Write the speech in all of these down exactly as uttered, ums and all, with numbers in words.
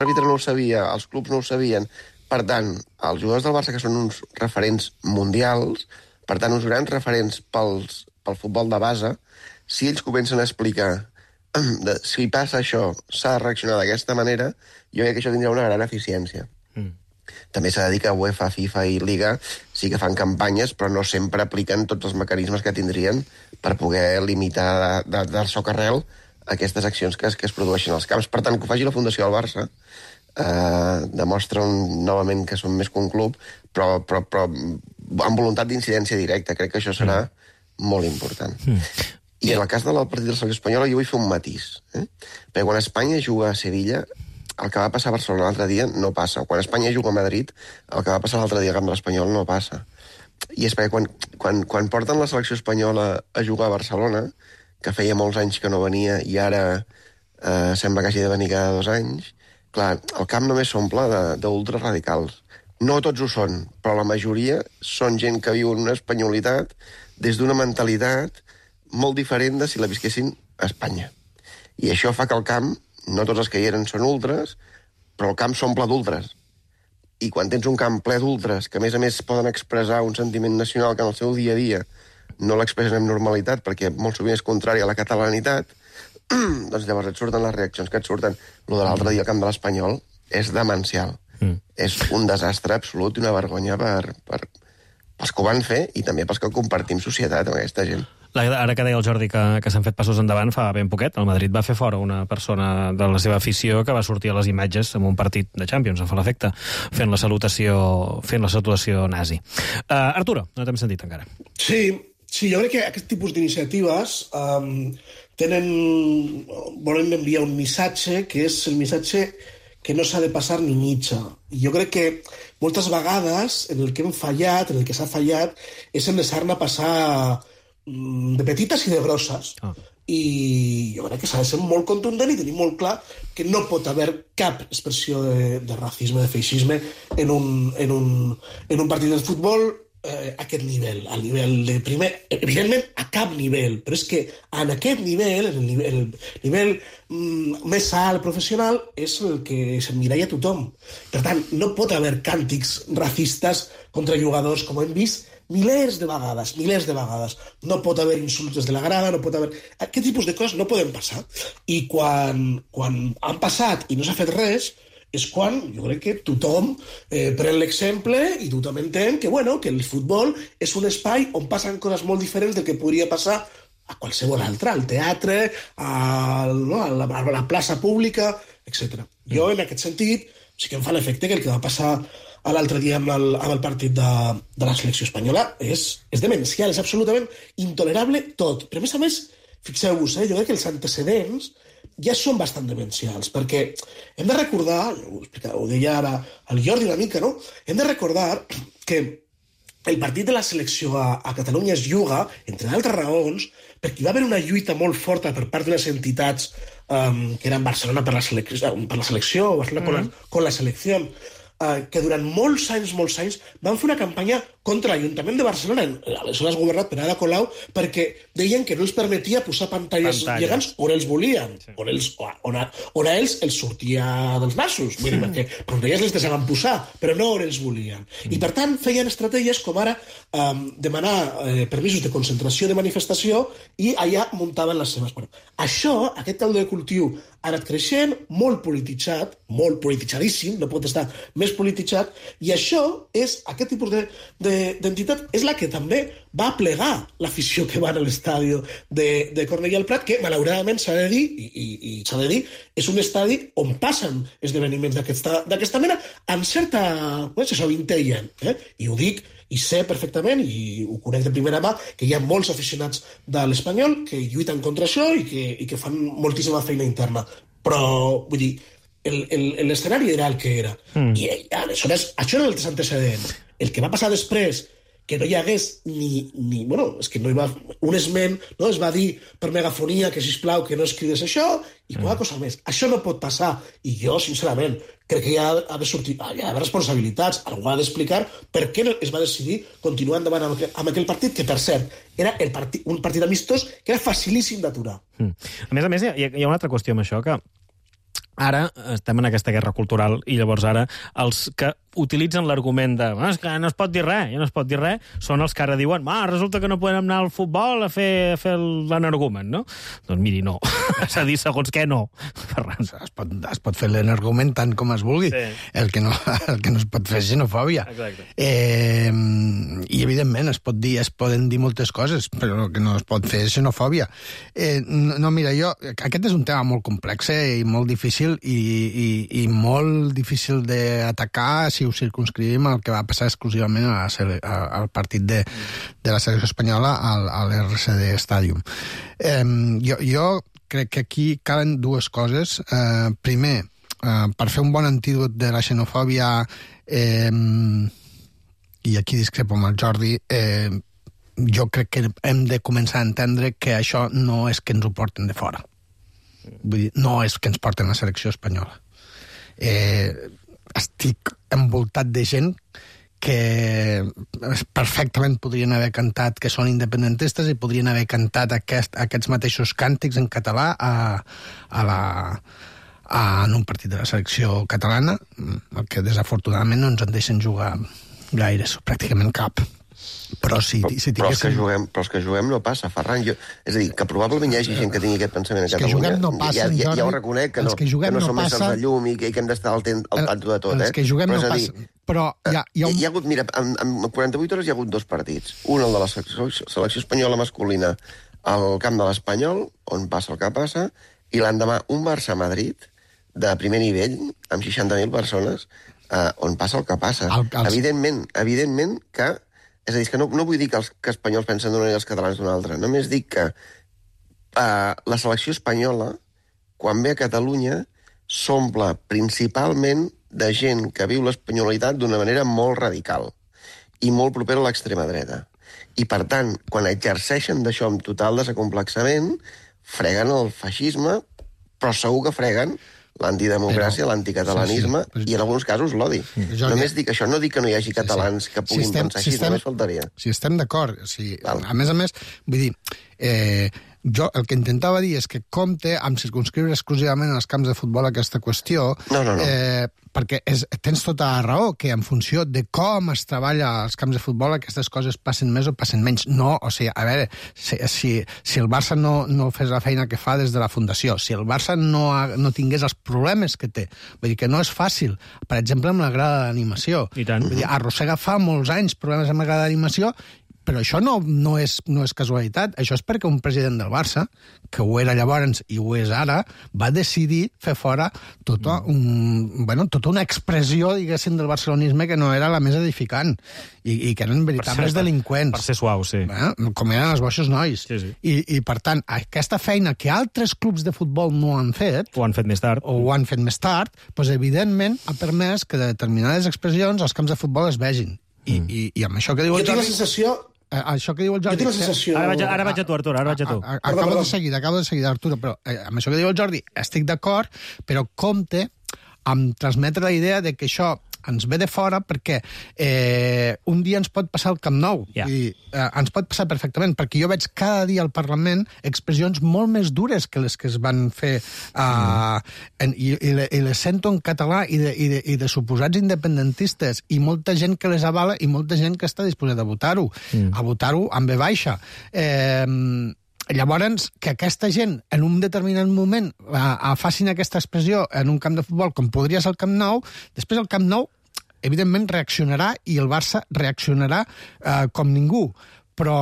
l'àrbitre no ho sabia, els clubs no ho sabien. Per tant, els jugadors del Barça, que són uns referents mundials, per tant, uns grans referents pels, pel futbol de base, si ells comencen a explicar de, si passa això, s'ha de reaccionar d'aquesta manera, jo crec que això tindrà una gran eficiència. Mm. També s'ha de dir que UEFA, FIFA i Liga sí que fan campanyes, però no sempre apliquen tots els mecanismes que tindrien per poder limitar de, de, del socarrel aquestes accions que es, que es produeixen als camps. Per tant, que ho faci la Fundació del Barça eh, demostra un, novament que són més que un club, però, però, però amb voluntat d'incidència directa. Crec que això serà mm. molt important. Mm. I en el cas del partit de la selecció espanyola jo vull fer un matís. Eh? Perquè quan Espanya juga a Sevilla, el que va passar a Barcelona l'altre dia no passa. Quan Espanya juga a Madrid, el que va passar l'altre dia al camp de l'Espanyol no passa. I és perquè quan, quan, quan porten la selecció espanyola a jugar a Barcelona, que feia molts anys que no venia i ara eh, sembla que hagi de venir cada dos anys, clar, el camp només s'omple d'ultraradicals. No tots ho són, però la majoria són gent que viu en una espanyolitat des d'una mentalitat molt diferent de si la visquessin a Espanya. I això fa que el camp, no tots els que hi eren són ultres, però el camp s'omple d'ultres. I quan tens un camp ple d'ultres, que a més a més poden expressar un sentiment nacional que en el seu dia a dia no l'expressen amb normalitat, perquè molt sovint és contrari a la catalanitat, doncs llavors et surten les reaccions que et surten. Lo de l'altre dia al camp de l'Espanyol és demencial. Mm. És un desastre absolut i una vergonya per, per, pels que ho van fer i també pels que compartim societat amb aquesta gent. Ara que deia el Jordi que, que s'han fet passos endavant fa ben poquet, el Madrid va fer fora una persona de la seva afició que va sortir a les imatges en un partit de Champions, em fa l'efecte, fent la salutació fent la salutació nazi. Uh, Arturo, no t'hem sentit encara. Sí, sí, jo crec que aquest tipus d'iniciatives um, tenen, volen enviar un missatge que és el missatge que no s'ha de passar ni mitja. I jo crec que moltes vegades en el que hem fallat, en el que s'ha fallat, és en deixar-ne passar de petites i de grosses. Ah. I jo crec que s'ha de ser molt contundent i tenir molt clar que no pot haver cap expressió de, de racisme, de feixisme en un, en un, en un partit de futbol eh, a aquest nivell, al nivell de primer, evidentment a cap nivell, però és que en aquest nivell, en el nivell, el nivell mm, més alt, professional, és el que s'emmiralla a tothom. Per tant, no pot haver càntics racistes contra jugadors, com hem vist milers de vegades, milers de vegades. No pot haver insults des de la grada, no pot haver... Aquest tipus de coses no poden passar. I quan, quan han passat i no s'ha fet res, és quan jo crec que tothom eh, pren l'exemple i tothom entén que, bueno, que el futbol és un espai on passen coses molt diferents del que podria passar a qualsevol altre, al teatre, a, no, a, la, a la plaça pública, etcètera. Jo, en aquest sentit, sí que em fa l'efecte que el que va passar l'altre dia amb el, amb el partit de, de la selecció espanyola és, és demencial, és absolutament intolerable tot. Però, a més a més, fixeu-vos, eh, jo crec que els antecedents ja són bastant demencials, perquè hem de recordar, ho, explicava, ho deia ara el Jordi una mica, no? Hem de recordar que el partit de la selecció a, a Catalunya es juga, entre d'altres raons, perquè hi va haver una lluita molt forta per part de les entitats um, que eren Barcelona per la selecció, per la selecció Barcelona mm. con, la, con la selecció, Uh, que durant molts anys, molts anys, van fer una campanya contra l'Ajuntament de Barcelona, aleshores governat per Ada Colau, perquè deien que no els permetia posar pantalles Pantalla. gegants on ells volien, sí. on, ells, on, a, on a ells els sortia dels nassos, vull dir, perquè pantalles les deixaven posar, però no on ells volien. Mm. I per tant feien estratègies com ara um, demanar eh, permisos de concentració, de manifestació, i allà muntaven les seves. Bueno, això, aquest caldo de cultiu, ha anat creixent, molt polititzat, molt polititzadíssim, no pot estar més polititzat, i això és, aquest tipus de, de, d'entitat és la que també va plegar l'afició que va a l'estadi de, de Cornellà al Prat, que malauradament s'ha de dir, i, i, i s'ha de dir, és un estadi on passen esdeveniments d'aquesta, d'aquesta mena, amb certa, no sé, s'avintellen, eh? I ho dic, i sé perfectament, i ho conec de primera mà, que hi ha molts aficionats de l'Espanyol que lluiten contra això i que, i que fan moltíssima feina interna. Però, vull dir, l'escenari era el que era. Mm. I aleshores, això era els antecedents. El que va passar després, que no hi hagués ni... ni bueno, és que no hi va... Un esment, no? Es va dir per megafonia que, sisplau, que no es cridés això, i qualque mm. cosa més. Això no pot passar. I jo, sincerament, crec que hi ha, ha de sortir... Hi ha d'haver responsabilitats. Algú ha d'explicar per què es va decidir continuar endavant amb, amb aquell partit, que, per cert, era el partit, un partit amistós que era facilíssim d'aturar. Mm. A més a més, hi ha, hi ha una altra qüestió amb això, que ara estem en aquesta guerra cultural i llavors ara els que utilitzen l'argument de ah, és que no es pot dir res, ja no es pot dir res, són els que ara diuen ah, resulta que no podem anar al futbol a fer, a fer l'energumen, no? Doncs miri, no. És a dir, segons què no, Ferran. Es pot, es pot fer l'energumen tant com es vulgui. Sí. El, que no, el que no es pot fer és xenofòbia. Exacte. Eh, I, evidentment, es pot dir, es poden dir moltes coses, però el que no es pot fer és xenofòbia. Eh, no, no, mira, jo... Aquest és un tema molt complex eh, i molt difícil i, i, i molt difícil d'atacar si ho circunscrivim al que va passar exclusivament a la, a, al partit de, de la selecció espanyola al, a l'R C D Stadium. Eh, jo, jo crec que aquí calen dues coses. Eh, primer, eh, per fer un bon antídot de la xenofòbia, eh, i aquí discrepo amb el Jordi, eh, jo crec que hem de començar a entendre que això no és que ens ho porten de fora. Vull dir, no és que ens porten la selecció espanyola. Eh, estic envoltat de gent que perfectament podrien haver cantat que són independentistes i podrien haver cantat aquest, aquests mateixos càntics en català a, a la, a, en un partit de la selecció catalana, el que desafortunadament no ens en deixen jugar gaires, pràcticament cap. Però si, però, si però, els que tinguéssim... juguem, però els que juguem no passa, Ferran. Jo, és a dir, que probablement hi hagi gent que tingui aquest pensament a Els que Catalunya. juguem no passen, ja, ja, Jordi. ja ho reconec, que no, Els que juguem que no no som passen. éssers de llum i que, i que hem d'estar al, ten, al tanto de tot. Els eh? que juguem però no dir, passen. Però hi ha, hi ha un... Hi ha hagut, mira, en, en quaranta-vuit hores hi ha hagut dos partits. Un, el de la selecció, selecció espanyola masculina al camp de l'Espanyol, on passa el que passa, i l'endemà un Barça-Madrid de primer nivell, amb seixanta mil persones, eh, on passa el que passa. El, els... Evidentment, evidentment que... És a dir, que no, no vull dir que els que espanyols pensen d'una manera i els catalans d'una altra. Només dic que eh, la selecció espanyola, quan ve a Catalunya, s'omple principalment de gent que viu l'espanyolitat d'una manera molt radical i molt propera a l'extrema dreta. I, per tant, quan exerceixen d'això amb total desacomplexament, freguen el feixisme, però segur que freguen l'antidemocràcia, però, l'anticatalanisme sí, sí, però... i, en alguns casos, l'odi. Jo només ja... dic això, no dic que no hi hagi catalans sí, sí. que puguin si estem, pensar així, si estem, només faltaria. Si estem d'acord, si, a més a més, vull dir, eh, jo el que intentava dir és que compte amb circunscriure exclusivament als camps de futbol aquesta qüestió, no, no, no. Eh, perquè és, tens tota la raó, que en funció de com es treballa als camps de futbol aquestes coses passen més o passen menys. No, o sigui, a veure, si, si, si el Barça no, no fes la feina que fa des de la fundació, si el Barça no, ha, no tingués els problemes que té, vull dir que no és fàcil, per exemple, amb la grada d'animació. I tant. Vull dir, arrossega fa molts anys problemes amb la grada d'animació, però això no, no, és, no és casualitat. Això és perquè un president del Barça, que ho era llavors i ho és ara, va decidir fer fora tota, un, bueno, tota una expressió, diguéssim, del barcelonisme que no era la més edificant i, i que eren veritables ser, delinqüents. Per ser suau, sí. Eh? Com eren els boixos nois. Sí, sí. I, I, per tant, aquesta feina que altres clubs de futbol no han fet... Ho han fet més tard. O ho han fet més tard, doncs, evidentment, ha permès que determinades expressions als camps de futbol es vegin. I, mm. i, i amb això que diu el Jo tinc Jordi... la sensació... Eh, això que diu el Jordi... Jo tinc la sensació... Ara vaig, ara vaig a tu, Artur, ara vaig a tu. A, a, acabo perdó, perdó. de seguida, acabo de seguida, Artur, però eh, amb això que diu el Jordi estic d'acord, però compte amb transmetre la idea de que això ens ve de fora perquè eh, un dia ens pot passar al Camp Nou. Yeah. I, eh, ens pot passar perfectament, perquè jo veig cada dia al Parlament expressions molt més dures que les que es van fer eh, mm. en, i, i, i les sento en català i de, i, de, i de suposats independentistes i molta gent que les avala i molta gent que està disposada a votar-ho, mm. a votar-ho amb B baixa. Eh, Llavors, que aquesta gent, en un determinat moment, a, a facin aquesta expressió en un camp de futbol, com podria ser el Camp Nou, després el Camp Nou, evidentment, reaccionarà i el Barça reaccionarà eh, com ningú. Però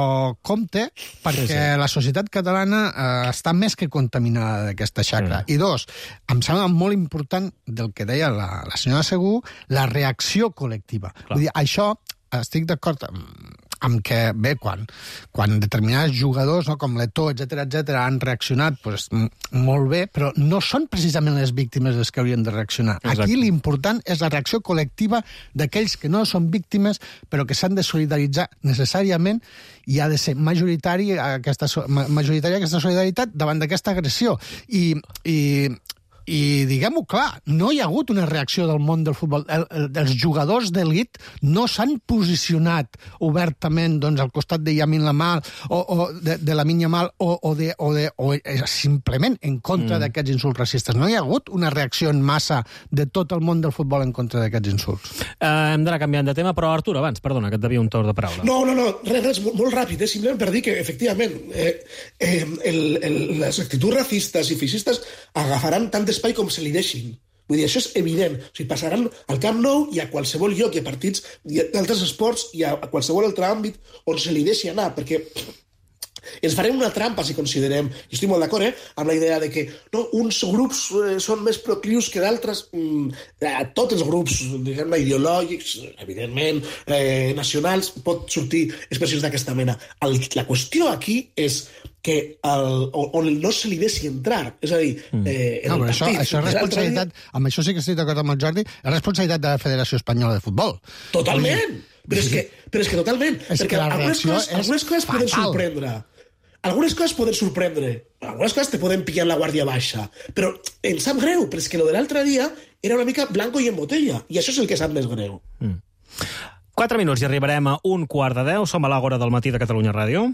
compte, perquè sí, sí. la societat catalana eh, està més que contaminada d'aquesta xacra. Mm. I dos, em sembla molt important del que deia la, la senyora Segú, la reacció col·lectiva. Clar. Vull dir, això, estic d'acord amb, amb que, bé, quan, quan determinats jugadors, no, com l'Eto'o, etcètera, etcètera, han reaccionat, pues, molt bé, però no són precisament les víctimes les que haurien de reaccionar. Exacte. Aquí l'important és la reacció col·lectiva d'aquells que no són víctimes, però que s'han de solidaritzar necessàriament i ha de ser majoritari aquesta, majoritària aquesta solidaritat davant d'aquesta agressió. I, i i diguem-ho clar, no hi ha hagut una reacció del món del futbol. El, el, els jugadors d'elit no s'han posicionat obertament doncs, al costat de Yamin Lamal o, o de, de la Minya Mal o, o, de, o, de, o simplement en contra mm. d'aquests insults racistes. No hi ha hagut una reacció en massa de tot el món del futbol en contra d'aquests insults. Uh, hem d'anar canviant de tema, però Artur, abans, perdona, que et devia un torn de paraula. No, no, no, res, res, molt, molt ràpid, eh? Simplement per dir que, efectivament, eh, eh, el, el, les actituds racistes i feixistes agafaran tant d'espai com se li deixin. Vull dir, això és evident. O sigui, passaran al Camp Nou i a qualsevol lloc, i a partits d'altres esports i a, a qualsevol altre àmbit on se li deixi anar, perquè ens farem una trampa si considerem, i estic molt d'acord, eh, amb la idea de que no, uns grups eh, són més proclius que d'altres. Mm, a tots els grups, diguem-ne, ideològics, evidentment, eh, nacionals, pot sortir expressions d'aquesta mena. El, la qüestió aquí és que el, on no se li deixi entrar. És a dir, eh, en no, el això, partit... això és responsabilitat, amb això sí que estic d'acord amb el Jordi, és responsabilitat de la Federació Espanyola de Futbol. Totalment! Però és que, però és que totalment. És perquè que la algunes reacció coses, és algunes coses poden fatal. sorprendre. Algunes coses poden sorprendre. Algunes coses te poden pillar en la guàrdia baixa. Però em sap greu, però és que lo de l'altre dia era una mica blanco i en botella. I això és el que sap més greu. Mm. Quatre minuts i arribarem a un quart de deu. Som a l'Àgora del matí de Catalunya Ràdio.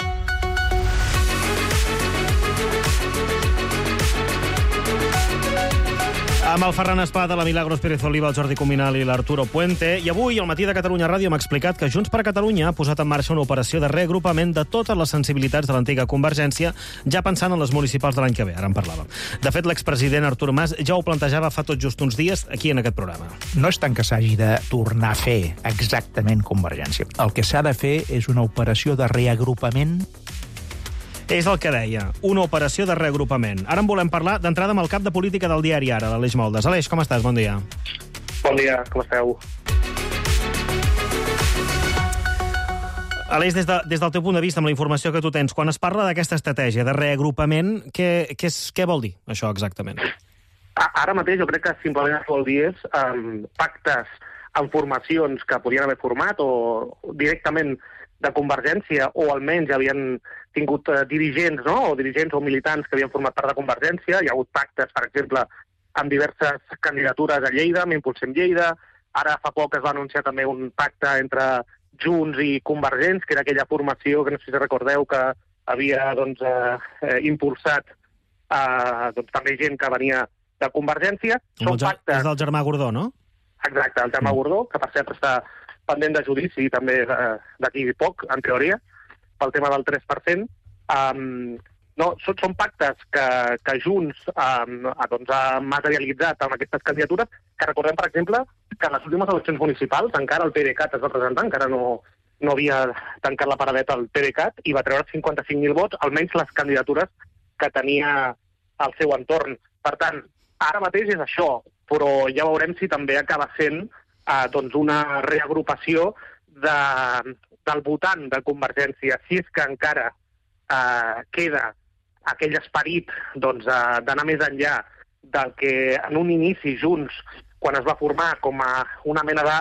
Amb el Ferran Espada, la Milagros Pérez Oliva, el Jordi Cuminal i l'Arturo Puente. I avui, al matí de Catalunya Ràdio, m'ha explicat que Junts per Catalunya ha posat en marxa una operació de reagrupament de totes les sensibilitats de l'antiga Convergència, ja pensant en les municipals de l'any que ve. Ara en parlàvem. De fet, l'expresident Artur Mas ja ho plantejava fa tot just uns dies aquí en aquest programa. No és tant que s'hagi de tornar a fer exactament Convergència. El que s'ha de fer és una operació de reagrupament. És el que deia, una operació de reagrupament. Ara en volem parlar d'entrada amb el cap de política del diari Ara, l'Aleix Moldes. Aleix, com estàs? Bon dia. Bon dia, com esteu? Aleix, des, de, des del teu punt de vista, amb la informació que tu tens, quan es parla d'aquesta estratègia de reagrupament, què, què, és, què vol dir això exactament? Ara mateix jo crec que simplement es vol dir és um, pactes amb formacions que podien haver format o directament de Convergència, o almenys ja havien tingut uh, dirigents, no? o dirigents o militants que havien format part de Convergència. Hi ha hagut pactes, per exemple, amb diverses candidatures a Lleida, amb Impulsem Lleida. Ara fa poc es va anunciar també un pacte entre Junts i Convergents, que era aquella formació que no sé si recordeu que havia doncs, eh, impulsat eh, doncs, també gent que venia de Convergència. Són el, pactes... És del germà Gordó, no? Exacte, el germà Gordó, que per cert està pendent de judici també eh, d'aquí poc, en teoria, pel tema del tres per cent. Um, no, són, són pactes que, que Junts um, doncs, ha materialitzat amb aquestes candidatures, que recordem, per exemple, que en les últimes eleccions municipals encara el PDeCAT es va presentar, encara no, no havia tancat la paradeta al PDeCAT, i va treure cinquanta-cinc mil vots, almenys les candidatures que tenia al seu entorn. Per tant, ara mateix és això, però ja veurem si també acaba sent eh, doncs una reagrupació de, del votant de Convergència, si és que encara eh, queda aquell esperit doncs, eh, d'anar més enllà del que en un inici Junts, quan es va formar com a una mena de,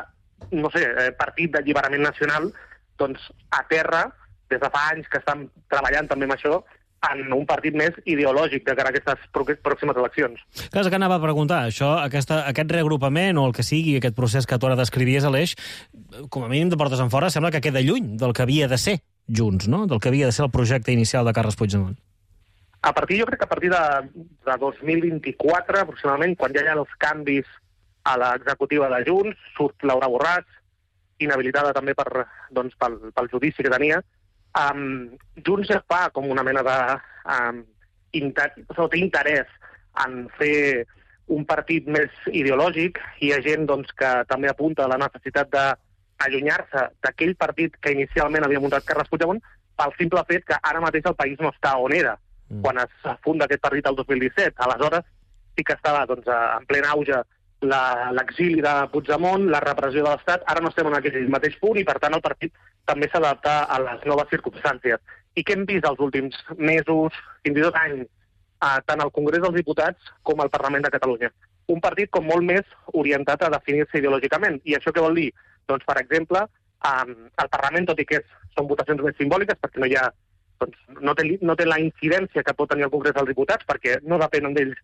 no sé, eh, partit d'alliberament nacional, doncs a terra, des de fa anys que estan treballant també amb això, en un partit més ideològic de cara a aquestes pròximes eleccions. Clar, és que anava a preguntar, això, aquesta, aquest reagrupament o el que sigui, aquest procés que tu ara descrivies, Aleix, com a mínim de portes en fora, sembla que queda lluny del que havia de ser Junts, no? Del que havia de ser el projecte inicial de Carles Puigdemont. A partir, jo crec que a partir de, de dos mil vint-i-quatre, aproximadament, quan ja hi ha els canvis a l'executiva de Junts, surt Laura Borràs, inhabilitada també per, doncs, pel, pel judici que tenia, Um, Junts ja fa com una mena de um, inter... o té interès en fer un partit més ideològic, i hi ha gent doncs, que també apunta a la necessitat d'allunyar-se d'aquell partit que inicialment havia muntat Carles Puigdemont, pel simple fet que ara mateix el país no està on era mm. quan es funda aquest partit el dos mil disset. Aleshores sí que estava doncs, en plen auge l'exili de Puigdemont, la repressió de l'Estat. Ara no estem en aquell mateix punt i, per tant, el partit també s'adapta a les noves circumstàncies. I què hem vist els últims mesos, fins i tot anys, eh, tant al Congrés dels Diputats com al Parlament de Catalunya? Un partit com molt més orientat a definir-se ideològicament. I això què vol dir? Doncs, per exemple, eh, el Parlament, tot i que és, són votacions més simbòliques, perquè no hi ha, doncs, no té, no té la incidència que pot tenir el Congrés dels Diputats, perquè no depenen d'ells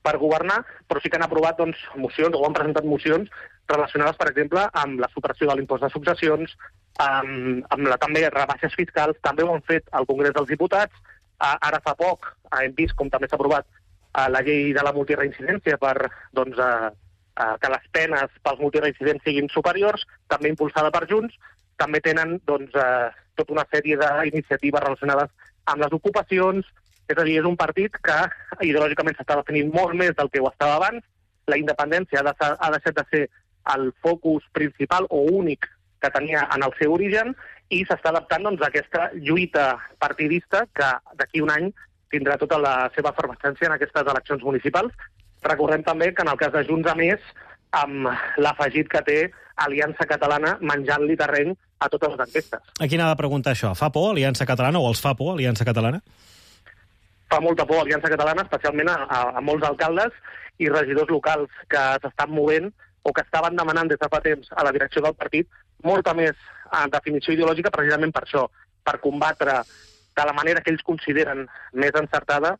per governar, però sí que han aprovat doncs, mocions, o han presentat mocions relacionades, per exemple, amb la supressió de l'impost de successions, amb, amb la, també rebaixes fiscals, també ho han fet al Congrés dels Diputats. Uh, ara fa poc uh, hem vist com també s'ha aprovat uh, la llei de la multireincidència per doncs, uh, uh, que les penes pels multireincidents siguin superiors, també impulsada per Junts. També tenen doncs, uh, tota una sèrie d'iniciatives relacionades amb les ocupacions. És a dir, és un partit que ideològicament s'està definint molt més del que ho estava abans. La independència ha, de, ha deixat de ser el focus principal o únic que tenia en el seu origen i s'està adaptant doncs, a aquesta lluita partidista que d'aquí un any tindrà tota la seva efervescència en aquestes eleccions municipals. Recordem també que en el cas de Junts, a més, amb l'afegit que té Aliança Catalana menjant-li terreny a totes les enquestes. A qui n'ha de preguntar això? Fa por Aliança Catalana o els fa por Aliança Catalana? Fa molta por Aliança Catalana, especialment a, a, a molts alcaldes i regidors locals que s'estan movent o que estaven demanant des de fa temps a la direcció del partit molta més en definició ideològica precisament per això, per combatre de la manera que ells consideren més encertada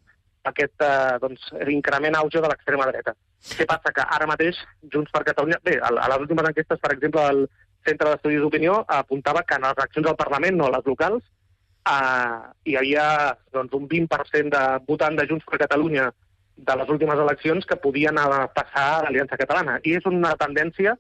aquest eh, doncs, increment auge de l'extrema dreta. Què passa? Que ara mateix Junts per Catalunya... Bé, a, a les últimes enquestes, per exemple, el Centre d'Estudis d'Opinió apuntava que en les eleccions al Parlament, no a les locals, eh, hi havia doncs, un vint per cent de votants de Junts per Catalunya de les últimes eleccions que podien passar a l'Aliança Catalana. I és una tendència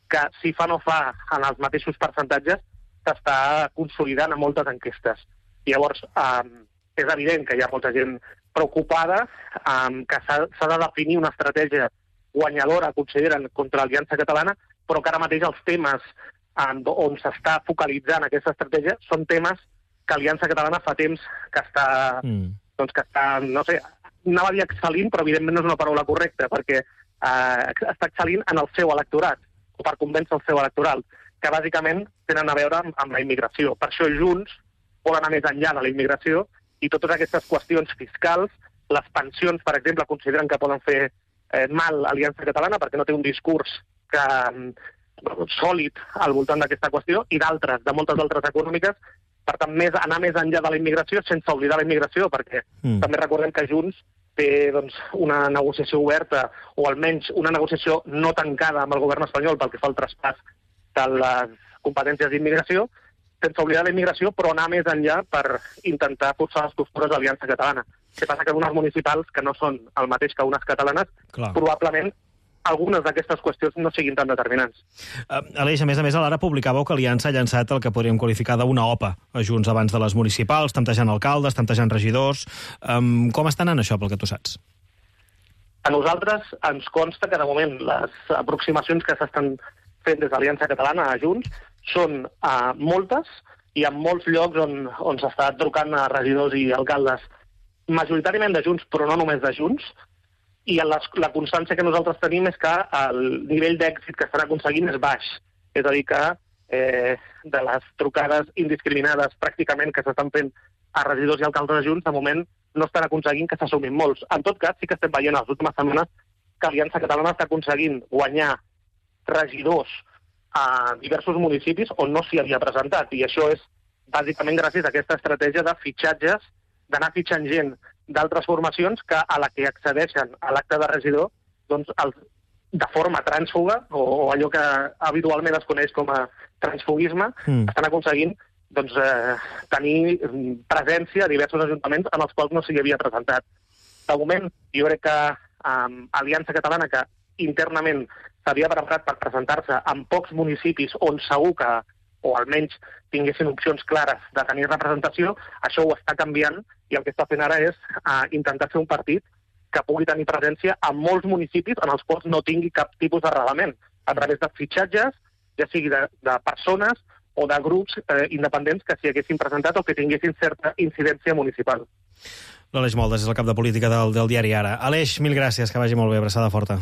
que, si fa no fa en els mateixos percentatges, s'està consolidant a moltes enquestes. Llavors, eh, és evident que hi ha molta gent preocupada, eh, que s'ha de definir una estratègia guanyadora, consideren, contra l'Aliança Catalana, però que ara mateix els temes eh, on s'està focalitzant aquesta estratègia són temes que l'Aliança Catalana fa temps que està, mm. doncs que està, no sé, anava a dir excel·lint, però evidentment no és una paraula correcta, perquè eh, està excel·lint en el seu electorat, o per convèncer el seu electoral, que bàsicament tenen a veure amb, amb la immigració. Per això Junts vol anar més enllà de la immigració i totes aquestes qüestions fiscals, les pensions, per exemple, consideren que poden fer eh, mal a l'Aliança Catalana perquè no té un discurs que, eh, sòlid al voltant d'aquesta qüestió, i d'altres, de moltes altres econòmiques. Per tant, més, anar més enllà de la immigració sense oblidar la immigració, perquè mm. també recordem que Junts té doncs, una negociació oberta, o almenys una negociació no tancada amb el govern espanyol pel que fa al traspàs de les competències d'immigració, sense oblidar la immigració, però anar més enllà per intentar forçar les costures de l'Aliança Catalana. Què passa? Que unes municipals, que no són el mateix que unes catalanes, Clar. probablement algunes d'aquestes qüestions no siguin tan determinants. Uh, Aleix, a més a més, a l'Ara publicàveu que Aliança ha llançat el que podríem qualificar d'una O P A a Junts abans de les municipals, temptejant alcaldes, temptejant regidors. Um, com està anant això, pel que tu saps? A nosaltres ens consta que, de moment, les aproximacions que s'estan fent des de l'Aliança Catalana a Junts són uh, moltes, i en molts llocs on, on s'està trucant a regidors i alcaldes, majoritàriament de Junts, però no només de Junts, i la, la constància que nosaltres tenim és que el nivell d'èxit que estan aconseguint és baix. És a dir, que eh, de les trucades indiscriminades pràcticament que s'estan fent a regidors i alcaldes de Junts, de moment no estan aconseguint que s'assumin molts. En tot cas, sí que estem veient a les últimes setmanes que l'Aliança Catalana està aconseguint guanyar regidors a diversos municipis on no s'hi havia presentat. I això és bàsicament gràcies a aquesta estratègia de fitxatges, d'anar fitxant gent d'altres formacions que a la que accedeixen a l'acte de regidor doncs, el, de forma trànsfuga, o, o allò que habitualment es coneix com a transfugisme, mm. estan aconseguint doncs, eh, tenir presència a diversos ajuntaments en els quals no s'hi havia presentat. De moment, jo crec que eh, Aliança Catalana, que internament s'havia preparat per presentar-se en pocs municipis on segur que, o almenys tinguessin opcions clares de tenir representació, això ho està canviant, i el que està fent ara és uh, intentar fer un partit que pugui tenir presència en molts municipis en els quals no tingui cap tipus d'arrelament, a través de fitxatges, ja sigui de, de persones o de grups eh, independents que s'hi haguessin presentat o que tinguessin certa incidència municipal. L'Aleix Moldes és el cap de política del, del diari Ara. Aleix, mil gràcies, que vagi molt bé, abraçada forta.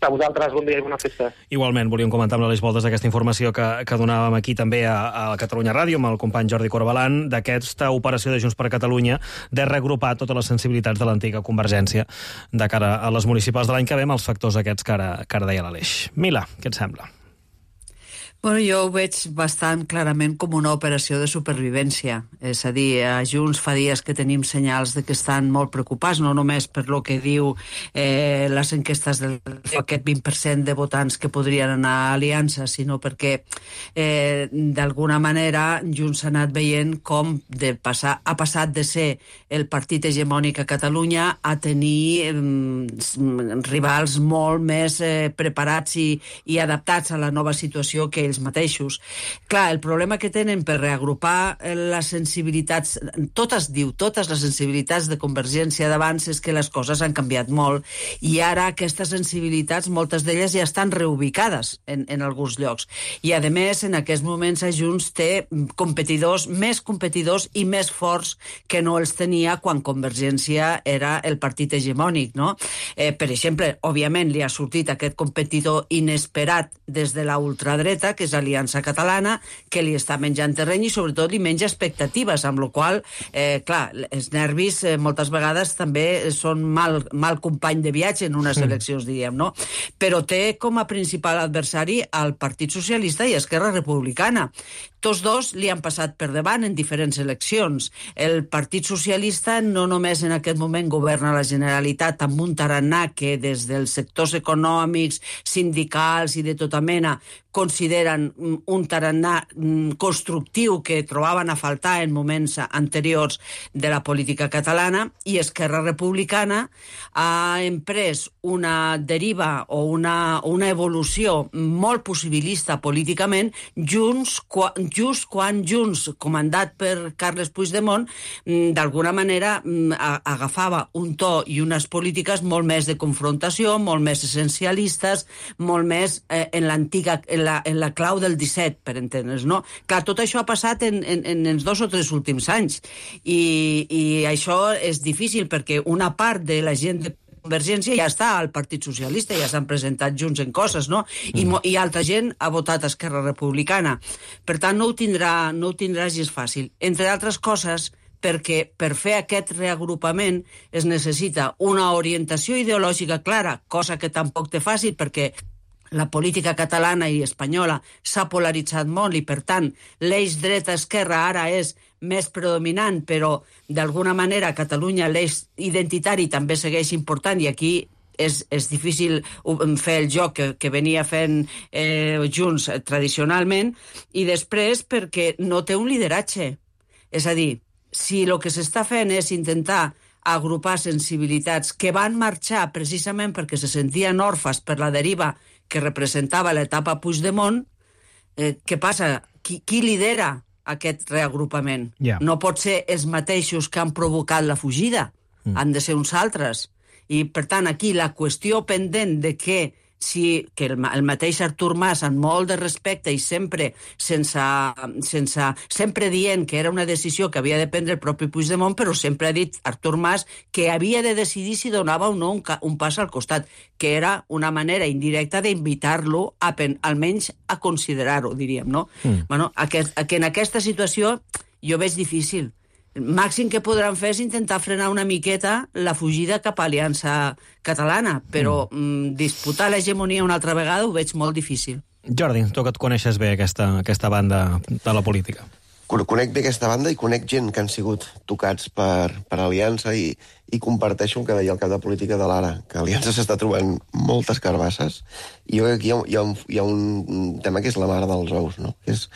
A vosaltres, bon dia i bona festa. Igualment, volíem comentar amb l'Aleix Moldes aquesta informació que, que donàvem aquí també a, a Catalunya Ràdio amb el company Jordi Corbalan, d'aquesta operació de Junts per Catalunya de reagrupar totes les sensibilitats de l'antiga Convergència de cara a les municipals de l'any que ve amb els factors aquests que ara, que ara deia l'Aleix. Mila, què et sembla? Bueno, jo ho veig bastant clarament com una operació de supervivència. És a dir, a Junts fa dies que tenim senyals de que estan molt preocupats, no només per lo que diu eh, les enquestes del aquest vint per cent de votants que podrien anar a Aliança, sinó perquè eh, d'alguna manera Junts ha anat veient com de passar, ha passat de ser el partit hegemònic a Catalunya a tenir eh, rivals molt més eh, preparats i, i adaptats a la nova situació que ells mateixos. Clar, el problema que tenen per reagrupar les sensibilitats, tot es diu, totes les sensibilitats de Convergència d'abans és que les coses han canviat molt i ara aquestes sensibilitats, moltes d'elles ja estan reubicades en, en alguns llocs. I a més, en aquests moments a Junts té competidors, més competidors i més forts que no els tenia quan Convergència era el partit hegemònic, no? Eh, per exemple, òbviament li ha sortit aquest competidor inesperat des de la ultradreta, que és Aliança Catalana, que li està menjant terreny i sobretot li menja expectatives, amb la qual cosa, eh, clar, els nervis eh, moltes vegades també són mal, mal company de viatge en unes eleccions, diríem, no? Però té com a principal adversari al Partit Socialista i Esquerra Republicana. Tots dos li han passat per davant en diferents eleccions. El Partit Socialista no només en aquest moment governa la Generalitat amb un tarannà que des dels sectors econòmics, sindicals i de tota mena consideren un tarannà constructiu que trobaven a faltar en moments anteriors de la política catalana, i Esquerra Republicana ha emprès una deriva o una, una evolució molt possibilista políticament junts, just quan Junts, comandat per Carles Puigdemont, d'alguna manera agafava un to i unes polítiques molt més de confrontació, molt més essencialistes, molt més eh, en l'antiga en la, en la clau del disset, per entendre's, no? Clar, tot això ha passat en, en, en els dos o tres últims anys i, i això és difícil perquè una part de la gent de Convergència ja està al Partit Socialista, ja s'han presentat junts en coses, no? I, mm. i altra gent ha votat Esquerra Republicana. Per tant, no ho tindrà, no ho tindrà gens fàcil. Entre altres coses, perquè per fer aquest reagrupament es necessita una orientació ideològica clara, cosa que tampoc té fàcil perquè la política catalana i espanyola s'ha polaritzat molt i, per tant, l'eix dreta-esquerra ara és més predominant, però d'alguna manera a Catalunya l'eix identitari també segueix important i aquí és, és difícil fer el joc que, que venia fent eh, Junts tradicionalment, i després perquè no té un lideratge. És a dir, si el que s'està fent és intentar agrupar sensibilitats que van marxar precisament perquè se sentien orfes per la deriva que representava l'etapa Puigdemont, eh, què passa? Qui, qui lidera aquest reagrupament? Yeah. No pot ser els mateixos que han provocat la fugida, mm. han de ser uns altres. I, per tant, aquí la qüestió pendent de que si que el, el mateix Artur Mas, amb molt de respecte i sempre sense, sense sempre dient que era una decisió que havia de prendre el propi Puigdemont, però sempre ha dit Artur Mas que havia de decidir si donava o no un, un pas al costat, que era una manera indirecta d'invitar-lo a pen, almenys a considerar-ho, diríem, no? Mm. Bueno, aquest, que en aquesta situació jo veig difícil. El màxim que podran fer és intentar frenar una miqueta la fugida cap a Aliança Catalana, però mm. disputar l'hegemonia una altra vegada ho veig molt difícil. Jordi, tu que et coneixes bé aquesta, aquesta banda de la política. Conec bé aquesta banda i conec gent que han sigut tocats per, per Aliança i, i comparteixo el que deia el cap de política de l'Ara, que Aliança s'està trobant moltes carbasses i jo crec que hi ha, hi, ha un, hi ha un tema que és la mare dels ous, no? Que és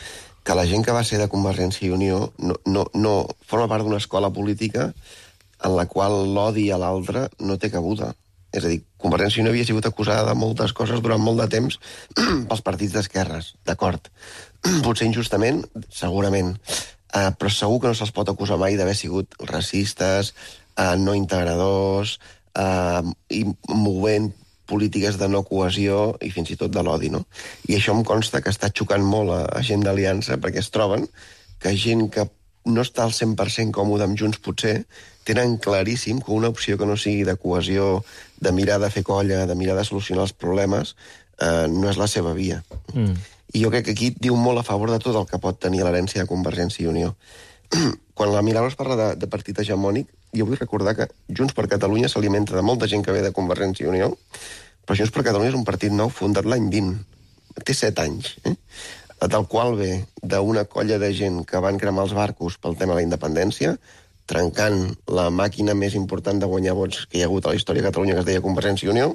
que la gent que va ser de Convergència i Unió no, no, no forma part d'una escola política en la qual l'odi a l'altre no té cabuda. És a dir, Convergència i Unió havia sigut acusada de moltes coses durant molt de temps pels partits d'esquerres, d'acord. Potser injustament, segurament, uh, però segur que no se'ls pot acusar mai d'haver sigut racistes, uh, no integradors, uh, i movent polítiques de no cohesió i fins i tot de l'odi, no? I això em consta que està xocant molt a, a gent d'Aliança perquè es troben que gent que no està al cent per cent còmode amb Junts potser tenen claríssim que una opció que no sigui de cohesió, de mirar de fer colla, de mirar de solucionar els problemes, eh, no és la seva via. Mm. I jo crec que aquí diu molt a favor de tot el que pot tenir l'herència de Convergència i Unió. Quan la Milagros parla de, de partit hegemònic, jo vull recordar que Junts per Catalunya s'alimenta de molta gent que ve de Convergència i Unió, però Junts per Catalunya és un partit nou fundat l'any vint. Té set anys. Eh? la tal qual ve d'una colla de gent que van cremar els barcos pel tema de la independència, trencant la màquina més important de guanyar vots que hi ha hagut a la història de Catalunya, que es deia Convergència i Unió.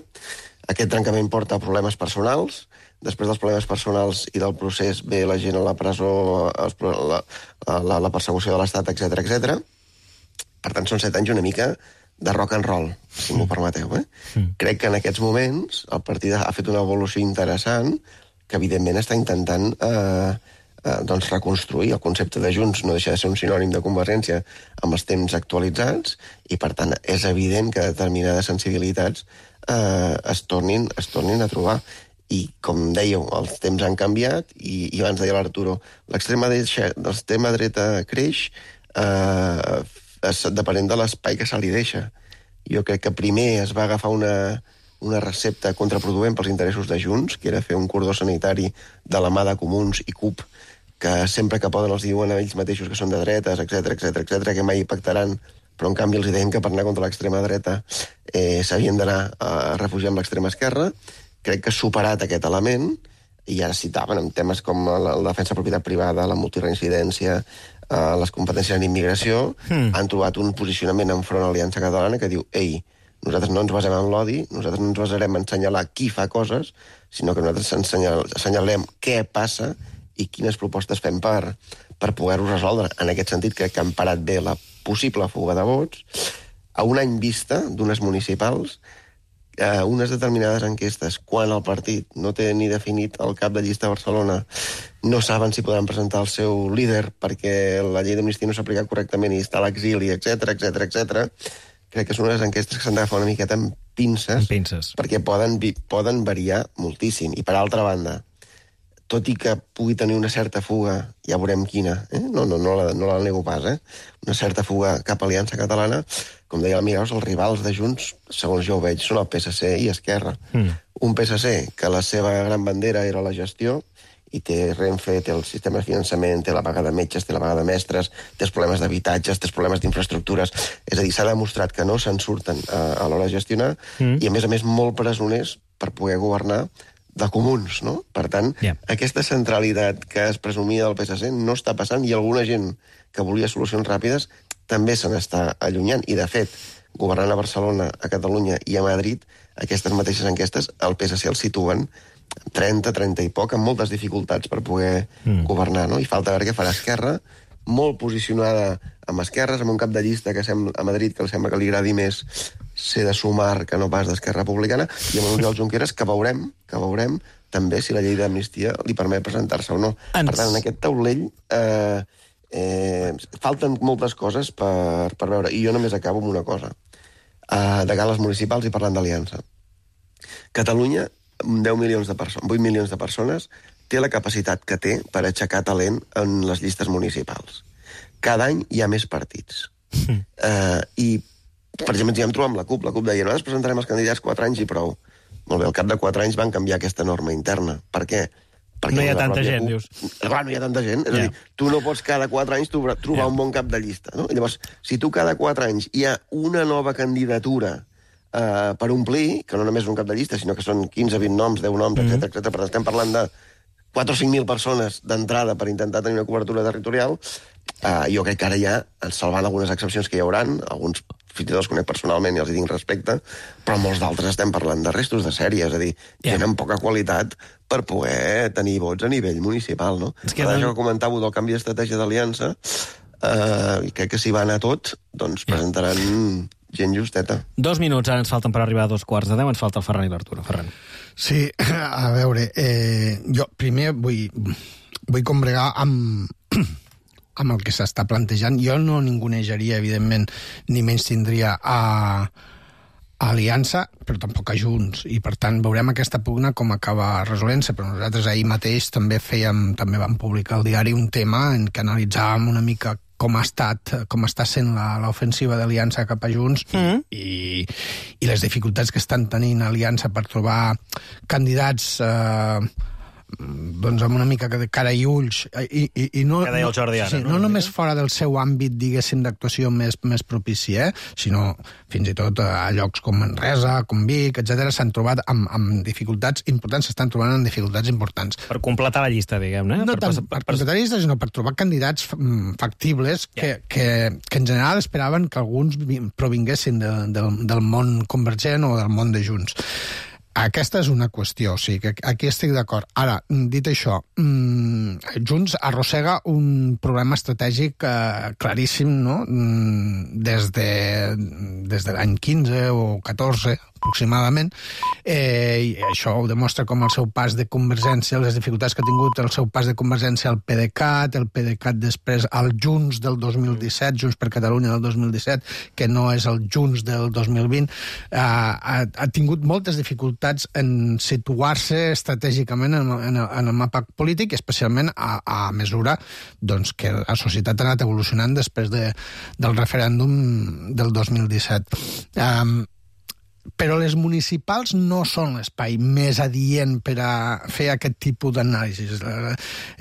Aquest trencament porta problemes personals. Després dels problemes personals i del procés ve la gent a la presó, la, la, la persecució de l'Estat, etcètera, etcètera. Per tant, són set anys una mica de rock and roll, si m'ho permeteu. Eh? Mm. Crec que en aquests moments el partit ha fet una evolució interessant que, evidentment, està intentant eh, eh, doncs reconstruir. El concepte de Junts no deixa de ser un sinònim de Convergència amb els temps actualitzats i, per tant, és evident que determinades sensibilitats eh, es, tornin, es tornin a trobar. I, com dèieu, els temps han canviat i, i abans deia l'Arturo, l'extrema dreta creix eh, depenent de l'espai que se li deixa. Jo crec que primer es va agafar una, una recepta contraproduent pels interessos de Junts, que era fer un cordó sanitari de la mà de Comuns i C U P, que sempre que poden els diuen a ells mateixos que són de dretes, etcètera, etcètera, etcètera, que mai pactaran, però en canvi els deien que per anar contra l'extrema dreta eh, s'havien d'anar a refugiar amb l'extrema esquerra. Crec que ha superat aquest element, i ara citaven en temes com la, la defensa de propietat privada, la multireincidència, eh, les competències en immigració, mm. han trobat un posicionament enfront a l'Aliança Catalana que diu, ei, nosaltres no ens basem en l'odi, nosaltres no ens basarem en assenyalar qui fa coses, sinó que nosaltres assenyal, assenyalem què passa i quines propostes fem per, per poder-ho resoldre. En aquest sentit, crec que han parat bé la possible fuga de vots. A un any vista d'unes municipals, Uh, unes determinades enquestes, quan el partit no té ni definit el cap de llista a Barcelona, no saben si podran presentar el seu líder perquè la llei d'amnistia no s'ha aplicat correctament i està a l'exili, etcètera, etcètera, etcètera. Crec que són unes enquestes que s'han d'agafar una miqueta amb pinces, amb pinces. perquè poden, poden variar moltíssim. I per altra banda, tot i que pugui tenir una certa fuga, ja veurem quina, eh? no, no, no, la, no la nego pas, eh? una certa fuga cap a Aliança Catalana, com deia el Miraus, els rivals de Junts, segons jo ho veig, són el P S C i Esquerra. Mm. Un P S C que la seva gran bandera era la gestió, i té Renfe, té el sistema de finançament, té la vaga de metges, té la vaga de mestres, té els problemes d'habitatges, té els problemes d'infraestructures. És a dir, s'ha demostrat que no se'n surten a, a l'hora de gestionar, mm. i a més a més molt presoners per poder governar de comuns, no? Per tant, yeah. aquesta centralitat que es presumia del P S C no està passant, i alguna gent que volia solucions ràpides també se n'està allunyant. I, de fet, governant a Barcelona, a Catalunya i a Madrid, aquestes mateixes enquestes, el P S C el situen trenta, trenta i poc, amb moltes dificultats per poder mm. governar, no? I falta veure què farà Esquerra, molt posicionada amb esquerres, amb un cap de llista que sembla, a Madrid que sembla que li agradi més ser de Sumar que no pas d'Esquerra Republicana, i amb Oriol Junqueras, que veurem, que veurem també si la llei d'amnistia li permet presentar-se o no. Ens... Per tant, en aquest taulell eh, eh, falten moltes coses per, per veure, i jo només acabo amb una cosa. Uh, de gales municipals i parlant d'aliança. Catalunya, deu milions de persones, vuit milions de persones, té la capacitat que té per aixecar talent en les llistes municipals. Cada any hi ha més partits. Mm. Uh, I, per exemple, ens hi vam trobar amb la CUP. La CUP deia, nosaltres presentarem els candidats quatre anys i prou. Molt bé, al cap de quatre anys van canviar aquesta norma interna. Per què? Perquè no hi ha tanta gent, CUP... dius. Clar, no hi ha tanta gent. És yeah. a dir, tu no pots cada quatre anys trobar yeah. un bon cap de llista. No? Llavors, si tu cada quatre anys hi ha una nova candidatura uh, per omplir, que no només és un cap de llista, sinó que són quinze, vint noms, deu noms, mm -hmm. etcètera, etcètera, per tant, estem parlant de quatre o cinc mil persones d'entrada per intentar tenir una cobertura territorial, uh, jo crec que ara ja, salvant algunes excepcions que hi hauran, alguns fins i tot els conec personalment i els hi tinc respecte, però molts d'altres estem parlant de restos de sèrie, és a dir, yeah. tenen poca qualitat per poder tenir vots a nivell municipal, no? És que ara no... que comentàveu del canvi d'estratègia d'aliança, uh, i crec que si va anar tot, doncs yeah. presentaran gent justeta. Dos minuts ara ens falten per arribar a dos quarts de deu, ens falta el Ferran i l'Arturo. Ferran. Sí, a veure, eh, jo primer vull, vull combregar amb, amb el que s'està plantejant. Jo no ningunejaria, evidentment, ni menys tindria a, a Aliança, però tampoc a Junts, i per tant veurem aquesta pugna com acaba resolent-se, però nosaltres ahir mateix també fèiem, també vam publicar al diari un tema en què analitzàvem una mica com ha estat, com està sent l'ofensiva d'Aliança cap a Junts mm. i, i les dificultats que estan tenint Aliança per trobar candidats eh, doncs amb una mica de cara i ulls, i, i, i no, que deia el Jordi ara, sí, no, no només fora del seu àmbit, diguéssim, d'actuació més, més propici, eh? sinó fins i tot a llocs com Manresa, com Vic, etcètera, s'han trobat amb, amb dificultats importants, s'estan trobant amb dificultats importants. Per completar la llista, diguem-ne. No per, tant per, per, per completar la llista, sinó per trobar candidats factibles que, yeah. que, que en general esperaven que alguns provinguessin de, del, del món convergent o del món de Junts. Aquesta és una qüestió, o sigui, que aquí estic d'acord. Ara, dit això, Junts arrossega un problema estratègic eh, claríssim, no?, des de, des de l'any quinze o catorze, aproximadament, eh, i això ho demostra com el seu pas de Convergència, les dificultats que ha tingut el seu pas de Convergència al PDeCAT, el PDeCAT després al Junts del dos mil disset, Junts per Catalunya del dos mil disset, que no és el Junts del dos mil vint, eh, ha, ha tingut moltes dificultats en situar-se estratègicament en, en, en el mapa polític, especialment a, a mesura doncs, que la societat ha anat evolucionant després de, del referèndum del dos mil disset. Um, Però les municipals no són l'espai més adient per a fer aquest tipus d'anàlisis.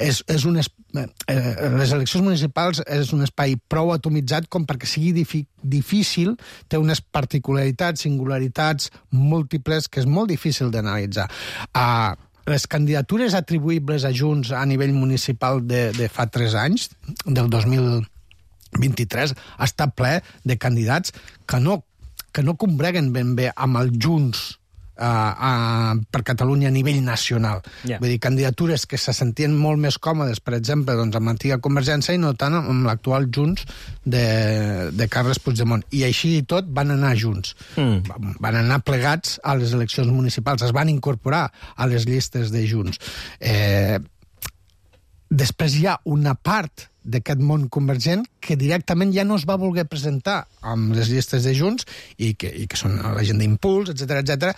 És, és un es... Les eleccions municipals és un espai prou atomitzat com perquè sigui difícil, té unes particularitats, singularitats múltiples que és molt difícil d'analitzar. Uh, les candidatures atribuïbles a Junts a nivell municipal de, de fa tres anys, del dos mil vint-i-tres, està ple de candidats que no que no combreguen ben bé amb el Junts uh, uh, per Catalunya a nivell nacional. Yeah. Vull dir, candidatures que se sentien molt més còmodes, per exemple, doncs, amb l'antiga Convergència i no tant amb l'actual Junts de, de Carles Puigdemont. I així i tot van anar junts. Mm. Van anar plegats a les eleccions municipals, es van incorporar a les llistes de Junts. Eh, després hi ha una part d'aquest món convergent que directament ja no es va voler presentar amb les llistes de Junts i que, i que són la gent d'Impuls, etcètera, etcètera.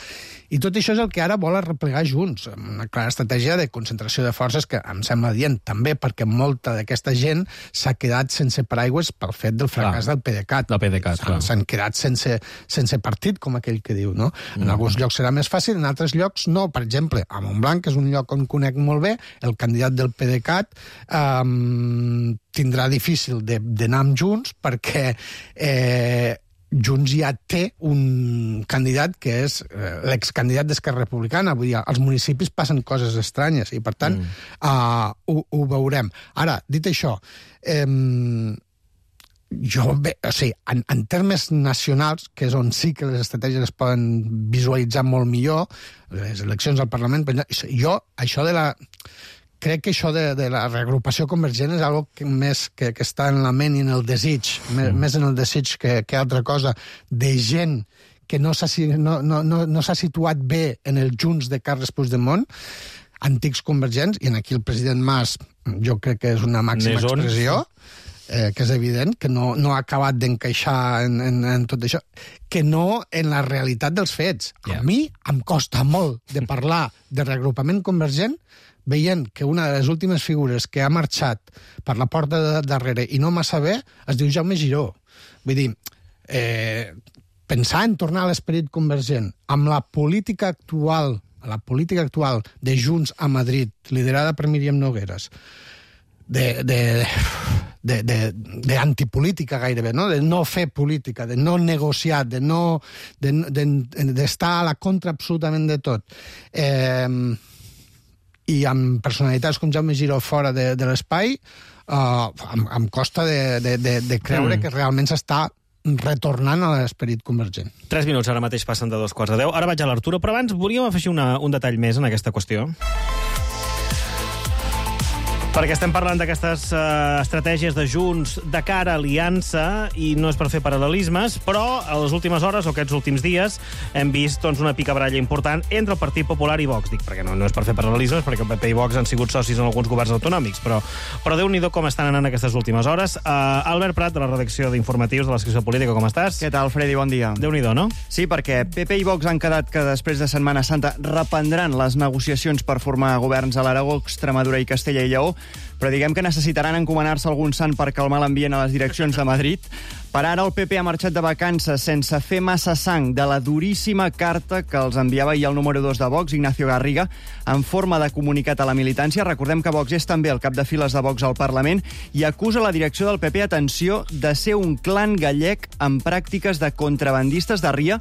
I tot això és el que ara vol replegar Junts, una clara estratègia de concentració de forces que em sembla dient també perquè molta d'aquesta gent s'ha quedat sense paraigües pel fet del fracàs clar, del PDeCAT. Del PDeCAT, clar. S'han quedat sense, sense partit, com aquell que diu, no? En mm. alguns llocs serà més fàcil, en altres llocs no. Per exemple, a Montblanc, que és un lloc on conec molt bé, el candidat del PDeCAT eh, tindrà difícil d'anar amb Junts perquè eh, Junts ja té un candidat que és eh, l'excandidat d'Esquerra Republicana. Vull dir, als municipis passen coses estranyes i, per tant, mm. uh, ho, ho veurem. Ara, dit això, eh, jo, bé, o sigui, en, en termes nacionals, que és on sí que les estratègies es poden visualitzar molt millor, les eleccions al Parlament, jo, això de la... Crec que això de, de la reagrupació convergent és algo que més que, que està en la ment i en el desig, mm. més en el desig que, que altra cosa, de gent que no s'ha no, no, no, no s'ha situat bé en el Junts de Carles Puigdemont, antics convergents, i en aquí el president Mas jo crec que és una màxima Nesons. expressió, eh, que és evident, que no, no ha acabat d'encaixar en, en, en tot això, que no en la realitat dels fets. Yeah. A mi em costa molt de parlar de reagrupament convergent veient que una de les últimes figures que ha marxat per la porta de darrere i no massa bé es diu Jaume Giró. Vull dir, eh, pensar en tornar a l'esperit convergent amb la política actual, la política actual de Junts a Madrid, liderada per Míriam Nogueres, de, de, de, de, de antipolítica gairebé, no? De no fer política, de no negociar, de no de, de, d'estar a la contra absolutament de tot. Eh, i amb personalitats com Jaume Giró fora de, de l'espai, uh, em, em costa de, de, de, de creure mm. que realment s'està retornant a l'esperit convergent. Tres minuts ara mateix passen de dos quarts de deu. Ara vaig a l'Arturo, però abans volíem afegir una, un detall més en aquesta qüestió. Perquè estem parlant d'aquestes uh, estratègies de Junts de cara a aliança i no és per fer paral·lelismes, però a les últimes hores o aquests últims dies hem vist doncs, una picabaralla important entre el Partit Popular i Vox. Dic, perquè no, no és per fer paral·lelismes, perquè el P P i Vox han sigut socis en alguns governs autonòmics, però, però Déu-n'hi-do com estan anant aquestes últimes hores. Uh, Albert Prat, de la redacció d'informatius de la secció política, com estàs? Què tal, Freddy? Bon dia. Déu-n'hi-do, no? Sí, perquè P P i Vox han quedat que després de Setmana Santa reprendran les negociacions per formar governs a l'Aragó, Extremadura i Castella i Lleó, però diguem que necessitaran encomanar-se algun sant per calmar l'ambient a les direccions de Madrid. Per ara, el P P ha marxat de vacances sense fer massa sang de la duríssima carta que els enviava ahir el número dos de Vox, Ignacio Garriga, en forma de comunicat a la militància. Recordem que Vox és també el cap de files de Vox al Parlament i acusa la direcció del P P, atenció, de ser un clan gallec amb pràctiques de contrabandistes de ria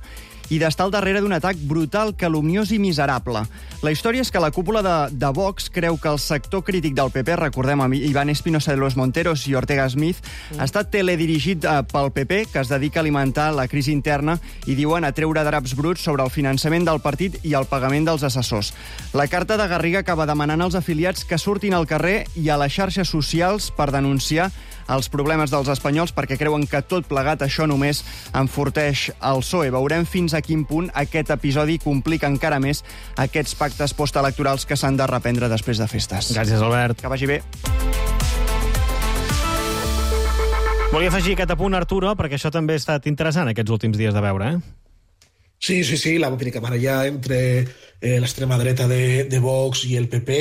i d'estar al darrere d'un atac brutal, calumniós i miserable. La història és que la cúpula de, de Vox creu que el sector crític del P P, recordem amb Iván Espinosa de los Monteros i Ortega Smith, mm. està teledirigit eh, pel P P, que es dedica a alimentar la crisi interna i diuen a treure draps bruts sobre el finançament del partit i el pagament dels assessors. La carta de Garriga acaba demanant als afiliats que surtin al carrer i a les xarxes socials per denunciar els problemes dels espanyols perquè creuen que tot plegat això només enforteix el P S O E. Veurem fins a quin punt aquest episodi complica encara més aquests pactes postelectorals que s'han de reprendre després de festes. Gràcies, Albert. Que vagi bé. Volia afegir aquest apunt, Arturo, perquè això també ha estat interessant aquests últims dies de veure, eh? Sí, sí, sí, la botica maralla entre eh, l'extrema dreta de, de Vox i el P P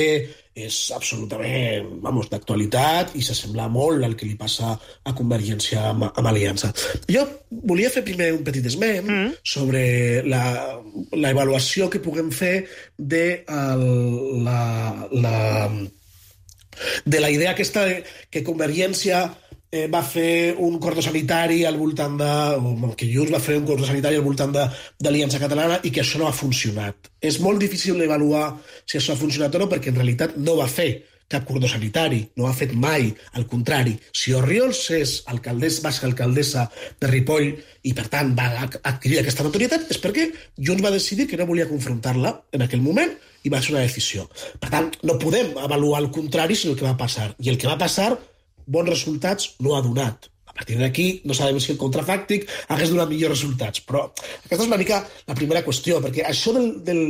és absolutament, vamos, d'actualitat i s'assembla molt al que li passa a Convergència amb, amb Aliança. Jo volia fer primer un petit esment mm. sobre la, la avaluació que puguem fer de el, la, la, de la idea aquesta de, que Convergència Eh, va fer un cordó sanitari al voltant de... O que Junts va fer un cordó sanitari al voltant d'Aliança Catalana i que això no ha funcionat. És molt difícil d'avaluar si això ha funcionat o no, perquè en realitat no va fer cap cordó sanitari, no ha fet mai, al contrari. Si Orriols és alcaldessa, va ser alcaldessa de Ripoll i, per tant, va adquirir aquesta notorietat, és perquè Junts va decidir que no volia confrontar-la en aquell moment i va ser una decisió. Per tant, no podem avaluar el contrari, sinó el que va passar. I el que va passar, bons resultats no ha donat. A partir d'aquí no sabem si el contrafàctic hagués donat millors resultats, però aquesta és una mica la primera qüestió, perquè això del, del,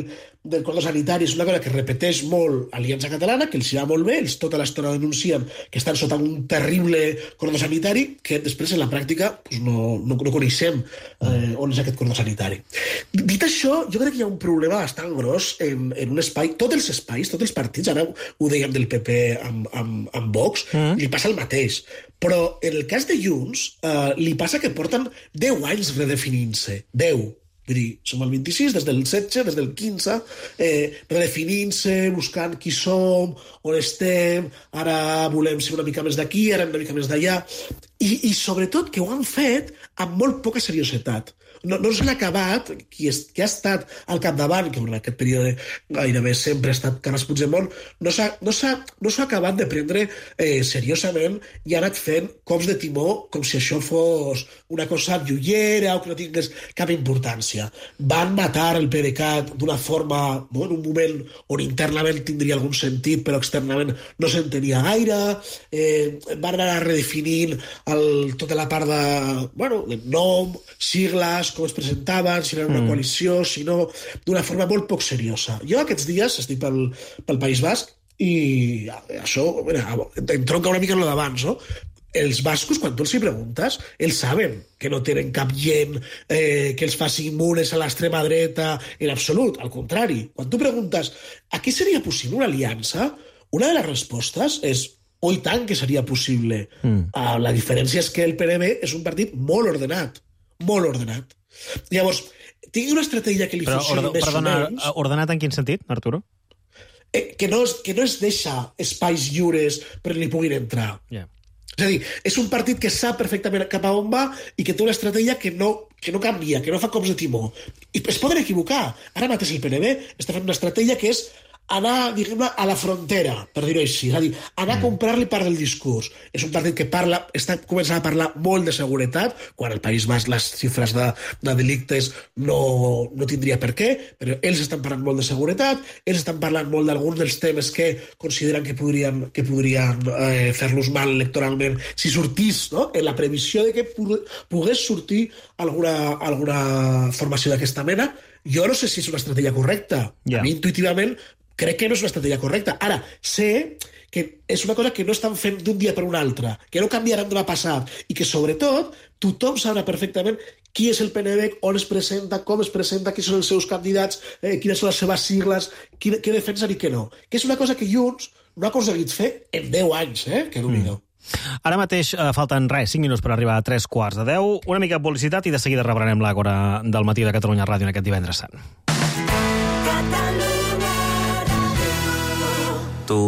del cordó sanitari és una cosa que repeteix molt Aliança Catalana, que els va molt bé, ells tota l'estona denuncien que estan sota un terrible cordó sanitari, que després en la pràctica pues, no, no, no coneixem eh, on és aquest cordó sanitari. Dit això, jo crec que hi ha un problema bastant gros en, en un espai, tots els espais, tots els partits, ara ho dèiem del P P amb, amb, amb Vox, mm. li passa el mateix. Però en el cas de Junts, eh, li passa que porten deu anys redefinint-se. deu. Vull dir, som el vint-i-sis, des del setze, des del quinze, eh, redefinint-se, buscant qui som, on estem, ara volem ser una mica més d'aquí, ara una mica més d'allà, i, i sobretot que ho han fet amb molt poca seriositat. No, no s'han acabat, qui, és, qui ha estat al capdavant, que en aquest període gairebé sempre ha estat Carles Puigdemont, no s'ha no no acabat de prendre eh, seriosament i ha anat fent cops de timó com si això fos una cosa llullera o que no tingués cap importància. Van matar el PDeCAT d'una forma, no, en un moment on internament tindria algun sentit, però externament no s'entenia gaire, eh, van anar redefinint el, tota la part de, bueno, de nom, sigles, com es presentaven, si era una mm. coalició, si no, d'una forma molt poc seriosa. Jo aquests dies estic pel, pel País Basc i això, mira, em tronca una mica en lo d'abans, no? Els bascos, quan tu els hi preguntes, ells saben que no tenen cap gent eh, que els faci immunes a l'extrema dreta en absolut, al contrari. Quan tu preguntes a què seria possible una aliança, una de les respostes és oh, i tant que seria possible. Mm. Uh, la diferència és que el P N B és un partit molt ordenat, molt ordenat. Llavors, tingui una estratègia que li Però, funcioni ord més perdona, o menys... Ordenat en quin sentit, Arturo? Eh, que, no es, que no es deixa espais lliures perquè li puguin entrar. Yeah. És a dir, és un partit que sap perfectament cap a on va i que té una estratègia que no, que no canvia, que no fa cops de timó. I es poden equivocar. Ara mateix el P N B està fent una estratègia que és anar, diguem-ne, a la frontera, per dir-ho així, és a dir, anar a comprar-li part del discurs. És un partit que parla, està començant a parlar molt de seguretat, quan al País Basc les xifres de, de delictes no, no tindria per què, però ells estan parlant molt de seguretat, ells estan parlant molt d'alguns dels temes que consideren que podrien, que podrien eh, fer-los mal electoralment si sortís, no?, en la previsió de que pogués sortir alguna, alguna formació d'aquesta mena. Jo no sé si és una estratègia correcta. Yeah. A mi, intuïtivament, crec que no és una estratègia correcta. Ara, sé que és una cosa que no estan fent d'un dia per un altre, que no canviaran demà passat, i que, sobretot, tothom sabrà perfectament qui és el P N B, on es presenta, com es presenta, qui són els seus candidats, eh, quines són les seves sigles, qui, què defensen i què no. Que és una cosa que Junts no ha aconseguit fer en deu anys, eh? Que Déu-n'hi-do. Ara mateix eh, falten res, cinc minuts per arribar a tres quarts de deu. Una mica de publicitat i de seguida rebrem l'Àgora del matí de Catalunya Ràdio en aquest divendres sant. Tu,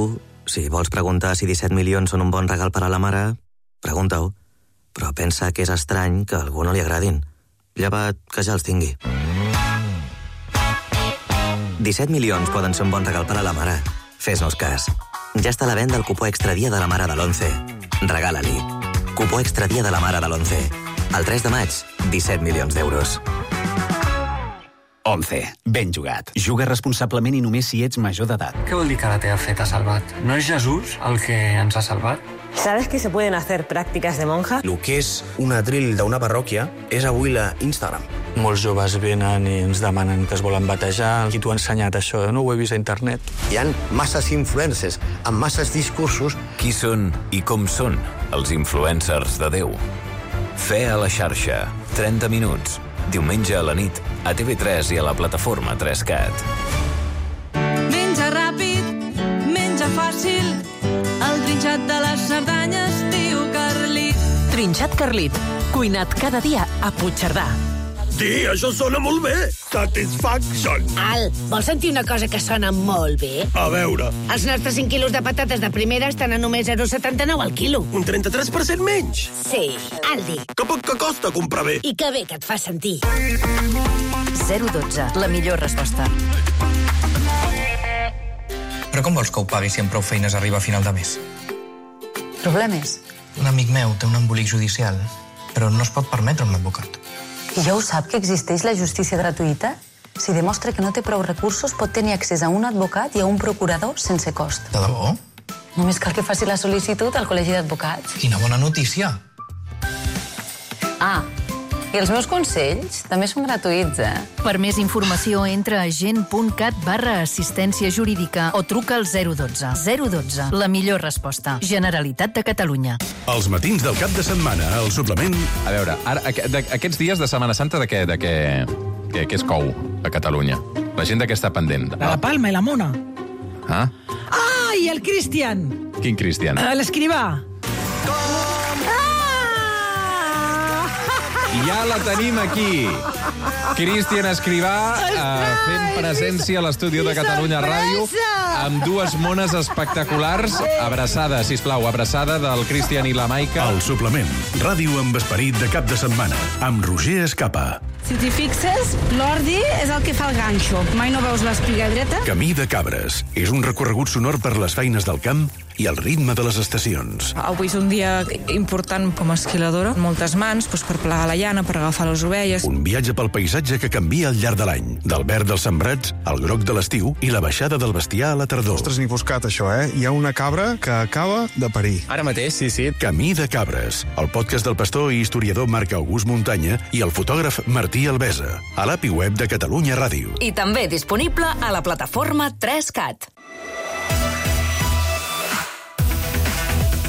si vols preguntar si disset milions són un bon regal per a la mare, pregunta-ho. Però pensa que és estrany que a algú no li agradin. Llevat que ja els tingui. disset milions poden ser un bon regal per a la mare. Fes-nos cas. Ja està a la venda el cupó extra dia de la mare de l'onze. Regala-li. Cupó extra dia de la mare de l'onze. El tres de maig, disset milions d'euros. onze. Ben jugat. Juga responsablement i només si ets major d'edat. Què vol dir que la teva fe t'ha salvat? No és Jesús el que ens ha salvat? ¿Sabes que se pueden hacer prácticas de monja? El que és un atril d'una parròquia és avui la Instagram. Molts joves venen i ens demanen que es volen batejar. Qui t'ho ha ensenyat, això? No ho he vist a internet. Hi ha masses influencers amb masses discursos. Qui són i com són els influencers de Déu? Fe a la xarxa. trenta minuts. Diumenge a la nit, a T V tres i a la plataforma tres cat. Menja ràpid, menja fàcil, el trinxat de les Cerdanyes diu Carlit. Trinxat Carlit, cuinat cada dia a Puigcerdà. Sí, això sona molt bé. Satisfaction. Al, vols sentir una cosa que sona molt bé? A veure. Els nostres cinc quilos de patates de primera estan a només zero coma setanta-nou al quilo. Un trenta-tres per cent menys? Sí, Aldi. Que poc que costa comprar bé. I que bé que et fa sentir. zero dotze, la millor resposta. Però com vols que ho pagui si amb prou feines arriba a final de mes? Problemes? Un amic meu té un embolic judicial, però no es pot permetre un advocat. I ja ho sap que existeix la justícia gratuïta? Si demostra que no té prou recursos, pot tenir accés a un advocat i a un procurador sense cost. De debò? Només cal que faci la sol·licitud al Col·legi d'Advocats. Quina bona notícia! Ah, i els meus consells també són gratuïts, eh? Per més informació, entra a gent.cat barra assistència jurídica o truca al zero dotze. zero dotze, la millor resposta. Generalitat de Catalunya. Els matins del cap de setmana, el suplement... A veure, ara, aquests dies de Setmana Santa, de què, de què, què, què es cou a Catalunya? La gent de què està pendent? De la Palma i la Mona. Ah? Ah, i el Cristian. Quin Cristian? L'escrivà. Ja la tenim aquí. Cristian Escrivà, eh, fent presència a l'estudi de Catalunya Ràdio, amb dues mones espectaculars. Abraçada, sisplau, abraçada del Cristian i la Maica. El suplement, ràdio amb esperit de cap de setmana, amb Roger Escapa. Si t'hi fixes, l'ordi és el que fa el ganxo. Mai no veus l'espiga dreta? Camí de Cabres. És un recorregut sonor per les feines del camp i el ritme de les estacions. Avui és un dia important com a esquiladora. Moltes mans doncs, per plegar la llana, per agafar les ovelles. Un viatge pel paisatge que canvia al llarg de l'any. Del verd dels sembrats, al groc de l'estiu i la baixada del bestiar a la tardor. Ostres, ni buscat, això, eh? Hi ha una cabra que acaba de parir. Ara mateix, sí, sí. Camí de Cabres, el podcast del pastor i historiador Marc August Muntanya i el fotògraf Martí Albesa, a l'A P I web de Catalunya Ràdio. I també disponible a la plataforma tres cat.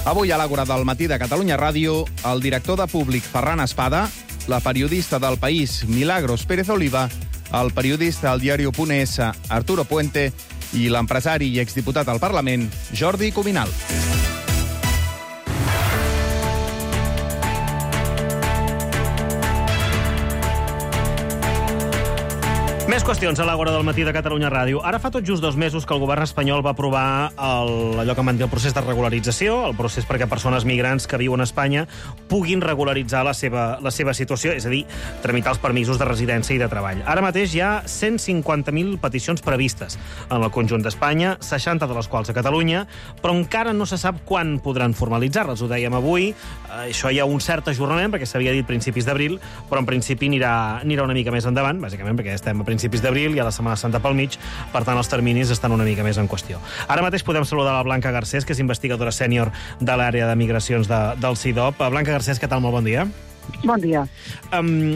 Avui a l'Àgora del matí de Catalunya Ràdio, el director de Públic Ferran Espada, la periodista del País Milagros Pérez Oliva, el periodista del diari .es Arturo Puente i l'empresari i exdiputat al Parlament Jordi Cuminal. Més qüestions a l'Àgora del matí de Catalunya Ràdio. Ara fa tot just dos mesos que el govern espanyol va aprovar el, allò que en van dir el procés de regularització, el procés perquè persones migrants que viuen a Espanya puguin regularitzar la seva, la seva situació, és a dir, tramitar els permisos de residència i de treball. Ara mateix hi ha cent cinquanta mil peticions previstes en el conjunt d'Espanya, seixanta de les quals a Catalunya, però encara no se sap quan podran formalitzar-les. Ho dèiem avui, eh, això hi ha un cert ajornament, perquè s'havia dit principis d'abril, però en principi anirà, anirà una mica més endavant, bàsicament perquè estem a principis d'abril i a la Setmana Santa pel mig, per tant els terminis estan una mica més en qüestió. Ara mateix podem saludar la Blanca Garcés, que és investigadora sènior de l'àrea de migracions de, del C I D O P. Blanca Garcés, què tal? Molt bon dia. Bon dia. Um,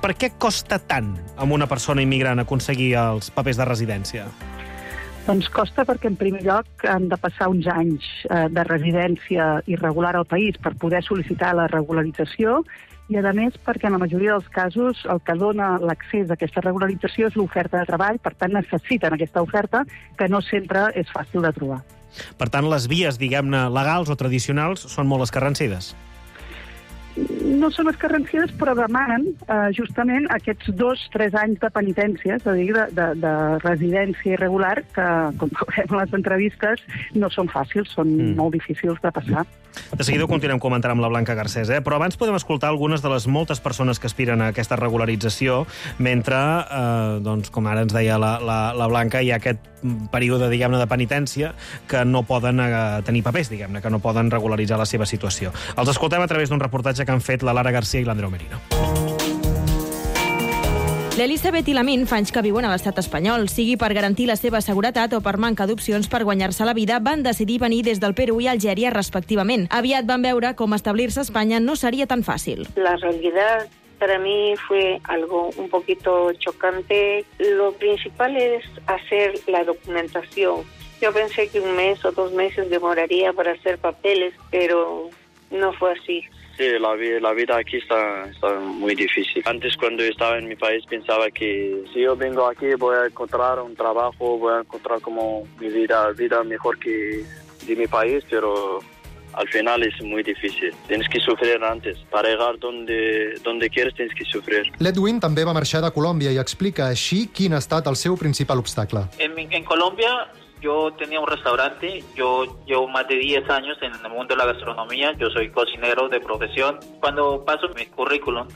per què costa tant a una persona immigrant aconseguir els papers de residència? Doncs costa perquè, en primer lloc, han de passar uns anys eh, de residència irregular al país per poder sol·licitar la regularització i, a més, perquè en la majoria dels casos el que dona l'accés a aquesta regularització és l'oferta de treball, per tant necessiten aquesta oferta que no sempre és fàcil de trobar. Per tant, les vies, diguem-ne, legals o tradicionals són molt escarrancides. No són escarrancides, però demanen eh, justament aquests dos, tres anys de penitència, és a dir, de, de, de residència irregular, que, com veurem en les entrevistes, no són fàcils, són mm. molt difícils de passar. De seguida ho continuem comentant amb la Blanca Garcés, eh? Però abans podem escoltar algunes de les moltes persones que aspiren a aquesta regularització, mentre, eh, doncs, com ara ens deia la, la, la Blanca, hi ha aquest període, diguem-ne, de penitència que no poden eh, tenir papers, diguem-ne, que no poden regularitzar la seva situació. Els escoltem a través d'un reportatge que han fet la Lara García i l'Andreu Merino. L'Elisabet i l'Amin fa anys que viuen a l'estat espanyol. Sigui per garantir la seva seguretat o per manca d'opcions per guanyar-se la vida, van decidir venir des del Perú i Algèria respectivament. Aviat van veure com establir-se a Espanya no seria tan fàcil. La realidad para mí fue algo un poquito chocante. Lo principal es hacer la documentación. Yo pensé que un mes o dos meses demoraría para hacer papeles, pero no fue así. Sí, la, la vida aquí está, está muy difícil. Antes, cuando estaba en mi país, pensaba que si yo vengo aquí voy a encontrar un trabajo, voy a encontrar como mi vida, vida mejor que de mi país, pero al final es muy difícil. Tienes que sufrir antes. Para llegar donde, donde quieres tienes que sufrir. L'Edwin també va marxar de Colòmbia i explica així quin ha estat el seu principal obstacle. En, en Colombia yo tenía un restaurante, yo llevo más de diez años en el mundo de la gastronomía, yo soy cocinero de profesión. Cuando paso mi currículum,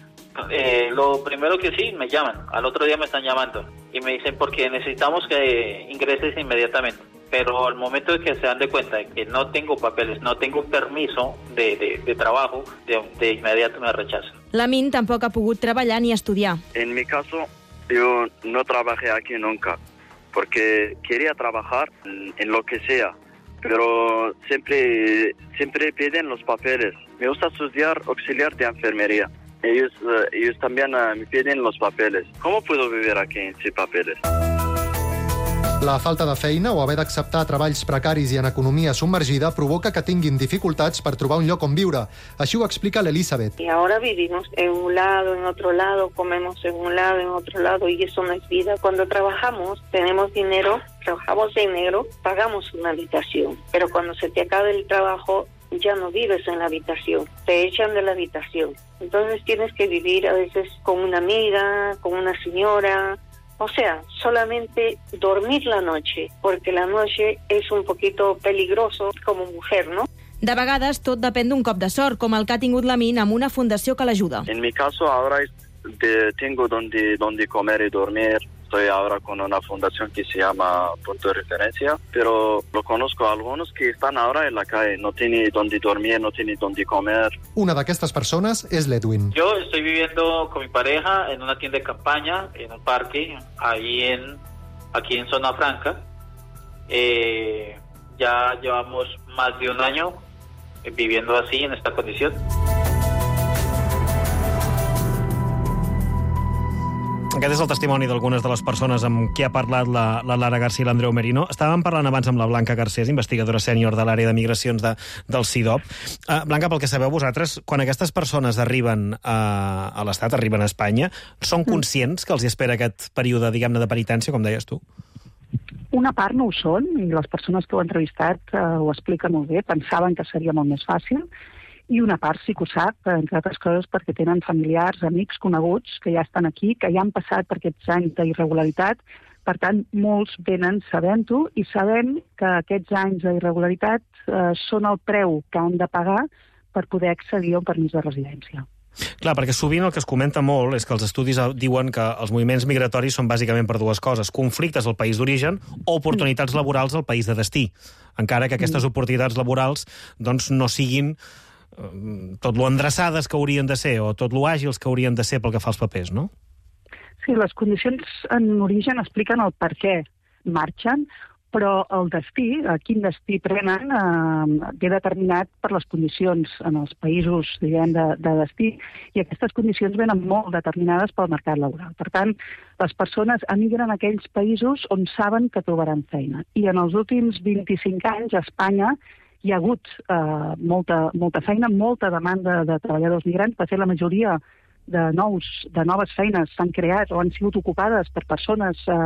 eh, lo primero que sí, me llaman, al otro día me están llamando y me dicen porque necesitamos que ingreses inmediatamente. Pero al momento de que se dan de cuenta de que no tengo papeles, no tengo permiso de, de, de trabajo, de, de inmediato me rechazan. L'Amin tampoc ha pogut treballar ni estudiar. En mi caso, yo no trabajé aquí nunca, porque quería trabajar en lo que sea, pero siempre, siempre piden los papeles. Me gusta estudiar auxiliar de enfermería. Ellos, ellos también me piden los papeles. ¿Cómo puedo vivir aquí sin papeles? La falta de feina o haver d'acceptar treballs precaris i en economia submergida provoca que tinguin dificultats per trobar un lloc on viure. Així ho explica l'Elisabet. Y ahora vivimos en un lado, en otro lado, comemos en un lado, en otro lado, y eso no es vida. Cuando trabajamos, tenemos dinero, trabajamos en negro, pagamos una habitación. Pero cuando se te acabe el trabajo, ya no vives en la habitación, te echan de la habitación. Entonces tienes que vivir a veces con una amiga, con una señora. O sea, solamente dormir la noche, porque la noche es un poquito peligroso como mujer, ¿no? De vegades, tot depèn d'un cop de sort, com el que ha tingut l'Amin amb una fundació que l'ajuda. En mi caso, ahora de, tengo donde, donde comer y dormir. Estoy ahora con una fundación que se llama Punto de Referencia, pero lo conozco a algunos que están ahora en la calle, no tienen donde dormir, no tienen donde comer. Una d'aquestes persones és l'Edwin. Yo estoy viviendo con mi pareja en una tienda de campaña, en un parque, ahí en, aquí en Zona Franca. Eh, ya llevamos más de un año viviendo así, en esta condición. Aquest és el testimoni d'algunes de les persones amb qui ha parlat la, la Lara García i l'Andreu Merino. Estàvem parlant abans amb la Blanca Garcés, investigadora sènior de l'àrea de migracions de, del C I D O P. Uh, Blanca, pel que sabeu vosaltres, quan aquestes persones arriben a, a l'Estat, arriben a Espanya, són conscients que els hi espera aquest període, diguem-ne, de penitència, com deies tu? Una part no ho són, i les persones que ho han entrevistat uh, ho expliquen molt bé, pensaven que seria molt més fàcil, i una part sí que ho sap, entre altres coses perquè tenen familiars, amics, coneguts, que ja estan aquí, que ja han passat per aquests anys d'irregularitat. Per tant, molts venen sabent-ho i sabem que aquests anys d'irregularitat eh, són el preu que han de pagar per poder accedir a un permís de residència. Clar, perquè sovint el que es comenta molt és que els estudis diuen que els moviments migratoris són bàsicament per dues coses: conflictes al país d'origen o oportunitats laborals al país de destí, encara que aquestes oportunitats laborals doncs, no siguin tot lo endreçades que haurien de ser o tot lo àgils que haurien de ser pel que fa als papers, no? Sí, les condicions en origen expliquen el per què marxen, però el destí, quin destí prenen, eh, ve determinat per les condicions en els països, diguem, de, de destí, i aquestes condicions venen molt determinades pel mercat laboral. Per tant, les persones emigren a aquells països on saben que trobaran feina. I en els últims vint-i-cinc anys, a Espanya, hi ha hagut eh, molta, molta feina, molta demanda de treballadors migrants. De fet, la majoria de, nous, de noves feines s'han creat o han sigut ocupades per persones eh,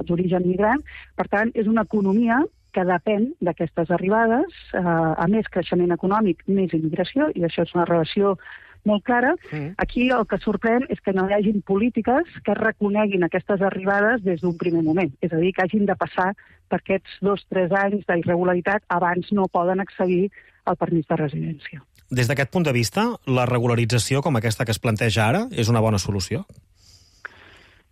d'origen migrant. Per tant, és una economia que depèn d'aquestes arribades, eh, a més creixement econòmic, més immigració, i això és una relació molt clara. Mm. Aquí el que sorprèn és que no hi hagin polítiques que reconeguin aquestes arribades des d'un primer moment. És a dir, que hagin de passar per aquests dos o tres anys d'irregularitat abans no poden accedir al permís de residència. Des d'aquest punt de vista, la regularització com aquesta que es planteja ara és una bona solució?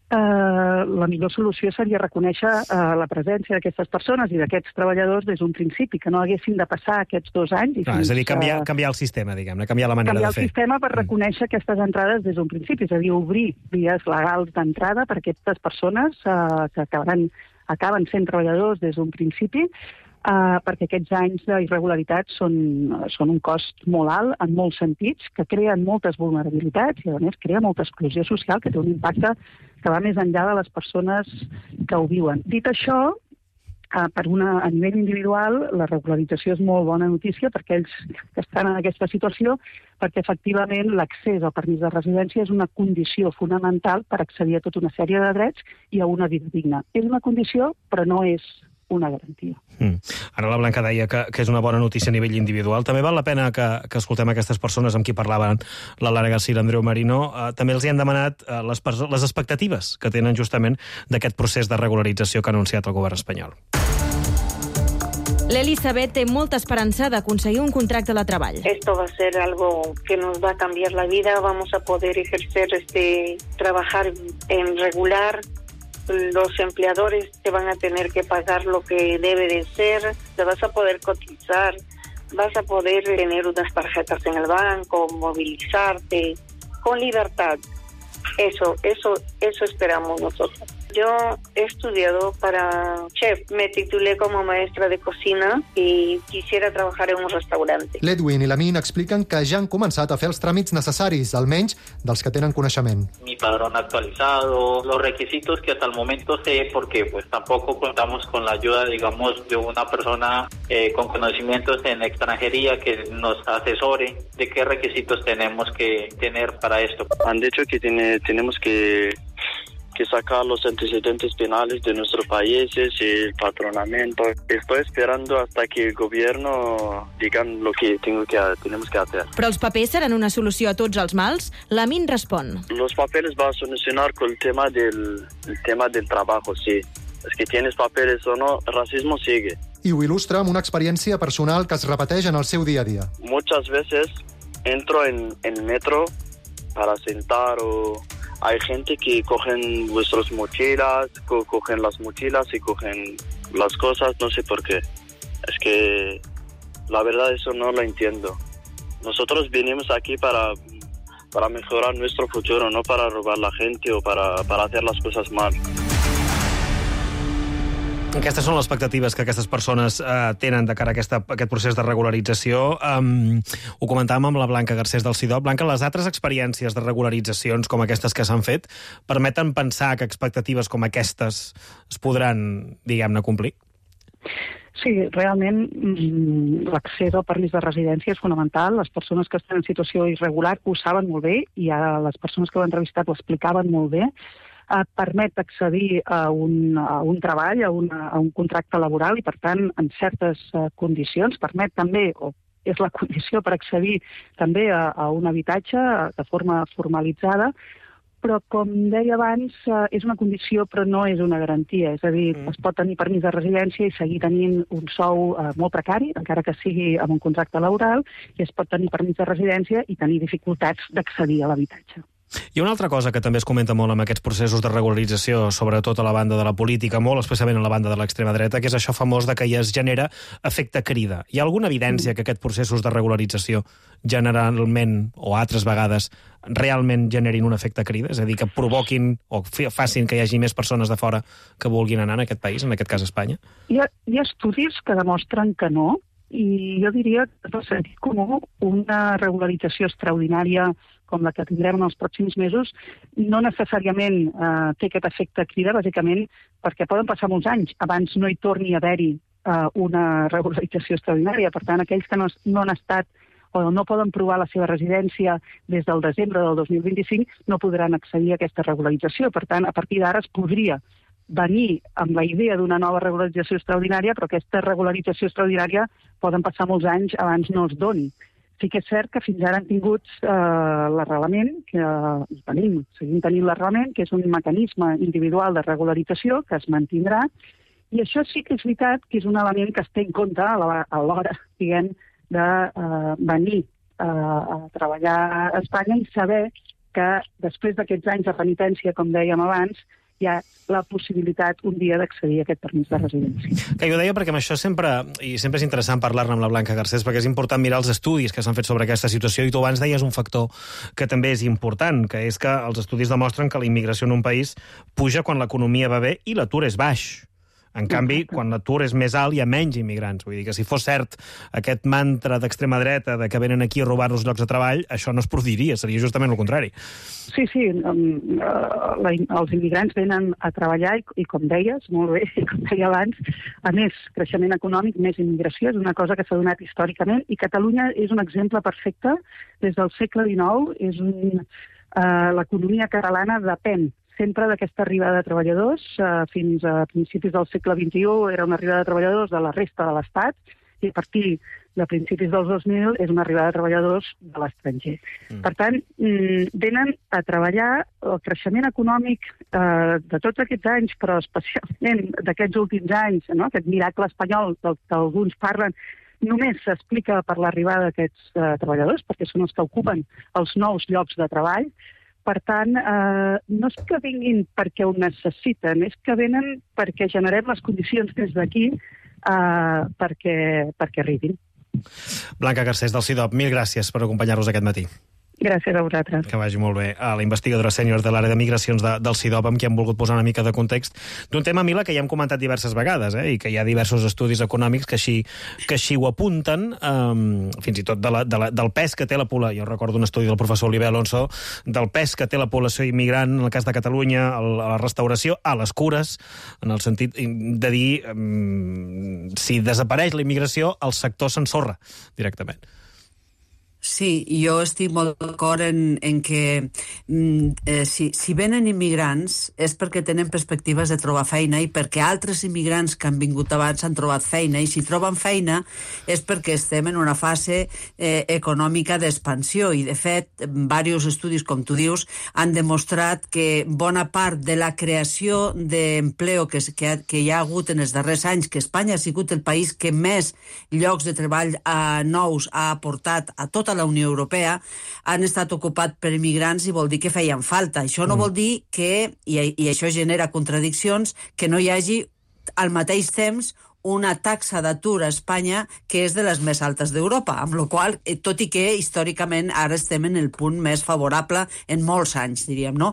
Uh, la millor solució seria reconèixer uh, la presència d'aquestes persones i d'aquests treballadors des d'un principi, que no haguessin de passar aquests dos anys. I ah, és a dir, canviar, canviar el sistema, diguem-ne, canviar la manera de fer. Canviar el sistema per reconèixer aquestes entrades des d'un principi, és a dir, obrir vies legals d'entrada per a aquestes persones uh, que acaben, acaben sent treballadors des d'un principi, Uh, perquè aquests anys d'irregularitat són, són un cost molt alt en molts sentits, que creen moltes vulnerabilitats i, a més, crea molta exclusió social, que té un impacte que va més enllà de les persones que ho viuen. Dit això, uh, per una, a nivell individual, la regularització és molt bona notícia per aquells que estan en aquesta situació, perquè, efectivament, l'accés al permís de residència és una condició fonamental per accedir a tota una sèrie de drets i a una vida digna. És una condició, però no és una garantia. Mm. Ara la Blanca deia que, que és una bona notícia a nivell individual. També val la pena que, que escoltem aquestes persones amb qui parlaven la Lara García i l'Andreu Marino. Uh, també els hi han demanat uh, les, les expectatives que tenen justament d'aquest procés de regularització que ha anunciat el govern espanyol. L'Elisabet té molta esperança d'aconseguir un contracte de treball. Esto va a ser algo que nos va a cambiar la vida. Vamos a poder ejercer, este, trabajar en regular. Los empleadores te van a tener que pagar lo que debe de ser, te vas a poder cotizar, vas a poder tener unas tarjetas en el banco, movilizarte con libertad. Eso, eso, eso esperamos nosotros. Yo he estudiado para chef, me titulé como maestra de cocina y quisiera trabajar en un restaurante. L'Edwin i la Min expliquen que ja han començat a fer els tràmits necessaris, almenys dels que tenen coneixement. Mi padrón actualizado, los requisitos que hasta el momento sé, porque pues tampoco contamos con la ayuda, digamos, de una persona eh, con conocimientos en extranjería que nos asesore de qué requisitos tenemos que tener para esto. Han dicho que tiene, tenemos que que sacar los antecedentes penales de nuestros países y el patronamiento. Estoy esperando hasta que el gobierno digan lo que, tengo que tenemos que hacer. Però els papers seran una solució a tots els mals? La Min respon. Los papeles van a solucionar con el tema del, el tema del trabajo, sí. Es que tienes papeles o no, el racismo sigue. I ho il·lustra amb una experiència personal que es repeteix en el seu dia a dia. Muchas veces entro en el metro para sentar o... Hay gente que cogen vuestras mochilas, co cogen las mochilas y cogen las cosas, no sé por qué. Es que la verdad eso no lo entiendo. Nosotros vinimos aquí para, para mejorar nuestro futuro, no para robar la gente o para, para hacer las cosas mal. Aquestes són les expectatives que aquestes persones eh, tenen de cara a aquesta, a aquest procés de regularització. Um, ho comentàvem amb la Blanca Garcés del C I D O P. Blanca, les altres experiències de regularitzacions com aquestes que s'han fet permeten pensar que expectatives com aquestes es podran, diguem-ne, complir? Sí, realment l'accés al permís de residència és fonamental. Les persones que estan en situació irregular ho saben molt bé i ara les persones que ho han entrevistat ho explicaven molt bé. Uh, permet accedir a un, a un treball, a, una, a un contracte laboral i, per tant, en certes uh, condicions. Permet també, o és la condició per accedir també a, a un habitatge de forma formalitzada, però, com deia abans, uh, és una condició però no és una garantia. És a dir, mm. es pot tenir permís de residència i seguir tenint un sou uh, molt precari, encara que sigui amb un contracte laboral, i es pot tenir permís de residència i tenir dificultats d'accedir a l'habitatge. Hi ha una altra cosa que també es comenta molt amb aquests processos de regularització, sobretot a la banda de la política, molt especialment a la banda de l'extrema dreta, que és això famós de que ja es genera efecte crida. Hi ha alguna evidència que aquests processos de regularització generalment, o altres vegades, realment generin un efecte crida? És a dir, que provoquin o facin que hi hagi més persones de fora que vulguin anar en aquest país, en aquest cas Espanya? Hi ha, hi ha estudis que demostren que no, i jo diria que per sentit comú una regularització extraordinària com la que tindrem en els pròxims mesos, no necessàriament eh, té aquest efecte crida, bàsicament perquè poden passar molts anys abans no hi torni a haver-hi eh, una regularització extraordinària. Per tant, aquells que no, no han estat o no poden provar la seva residència des del desembre del dos mil vint-i-cinc no podran accedir a aquesta regularització. Per tant, a partir d'ara es podria venir amb la idea d'una nova regularització extraordinària, però aquesta regularització extraordinària poden passar molts anys abans no es doni. Sí que és cert que fins ara han tingut eh, l'arrelament, que eh, tenim, seguim tenint l'arrelament, que és un mecanisme individual de regularització que es mantindrà, i això sí que és veritat que és un element que es té en compte a l'hora, diguem, de eh, venir eh, a treballar a Espanya i saber que després d'aquests anys de penitència, com dèiem abans, hi ha la possibilitat un dia d'accedir a aquest permís de residència. Que jo deia perquè amb això sempre, i sempre és interessant parlar-ne amb la Blanca Garcés, perquè és important mirar els estudis que s'han fet sobre aquesta situació, i tu abans deies un factor que també és important, que és que els estudis demostren que la immigració en un país puja quan l'economia va bé i l'atur és baix. En canvi, quan l'atur és més alt, hi ha menys immigrants. Vull dir que si fos cert aquest mantra d'extrema dreta de que venen aquí a robar-nos llocs de treball, això no es produiria, seria justament el contrari. Sí, sí, um, uh, la, els immigrants venen a treballar i, i com deies, molt bé, com deia abans, a més creixement econòmic, més immigració, és una cosa que s'ha donat històricament, i Catalunya és un exemple perfecte. Des del segle dinou, és un, uh, l'economia catalana depèn sempre d'aquesta arribada de treballadors. Uh, fins a principis del segle vint-i-u era una arribada de treballadors de la resta de l'Estat, i a partir de principis dels dos mil és una arribada de treballadors de l'estranger. Mm. Per tant, venen a treballar el creixement econòmic eh, de tots aquests anys, però especialment d'aquests últims anys, no? Aquest miracle espanyol del que alguns parlen, només s'explica per l'arribada d'aquests eh, treballadors, perquè són els que ocupen els nous llocs de treball. Per tant, eh, no és que vinguin perquè ho necessiten, és que venen perquè generem les condicions des d'aquí eh, perquè, perquè arribin. Blanca Garcés, del CIDOB, mil gràcies per acompanyar-nos aquest matí. Gràcies a vosaltres. Que vagi molt bé. A la investigadora sènior de l'àrea de migracions de, del CIDOB, amb qui hem volgut posar una mica de context d'un tema, Mila, que ja hem comentat diverses vegades, eh? I que hi ha diversos estudis econòmics que així, que així ho apunten, um, fins i tot de la, de la, del pes que té la població. Jo recordo un estudi del professor Oliver Alonso, del pes que té la població immigrant, en el cas de Catalunya, a la restauració, a les cures, en el sentit de dir, um, si desapareix la immigració, el sector s'ensorra directament. Sí, jo estic molt d'acord en, en que eh, si, si venen immigrants és perquè tenen perspectives de trobar feina i perquè altres immigrants que han vingut abans han trobat feina, i si troben feina és perquè estem en una fase eh, econòmica d'expansió, i de fet diversos estudis, com tu dius, han demostrat que bona part de la creació d'empleo que, que, que hi ha hagut en els darrers anys, que Espanya ha sigut el país que més llocs de treball eh, nous ha aportat a tota la Unió Europea, han estat ocupats per immigrants, i vol dir que feien falta. Això no mm. vol dir que, i, i això genera contradiccions, que no hi hagi al mateix temps una taxa d'atur a Espanya que és de les més altes d'Europa, amb la qual cosa, tot i que històricament ara estem en el punt més favorable en molts anys, diríem, no?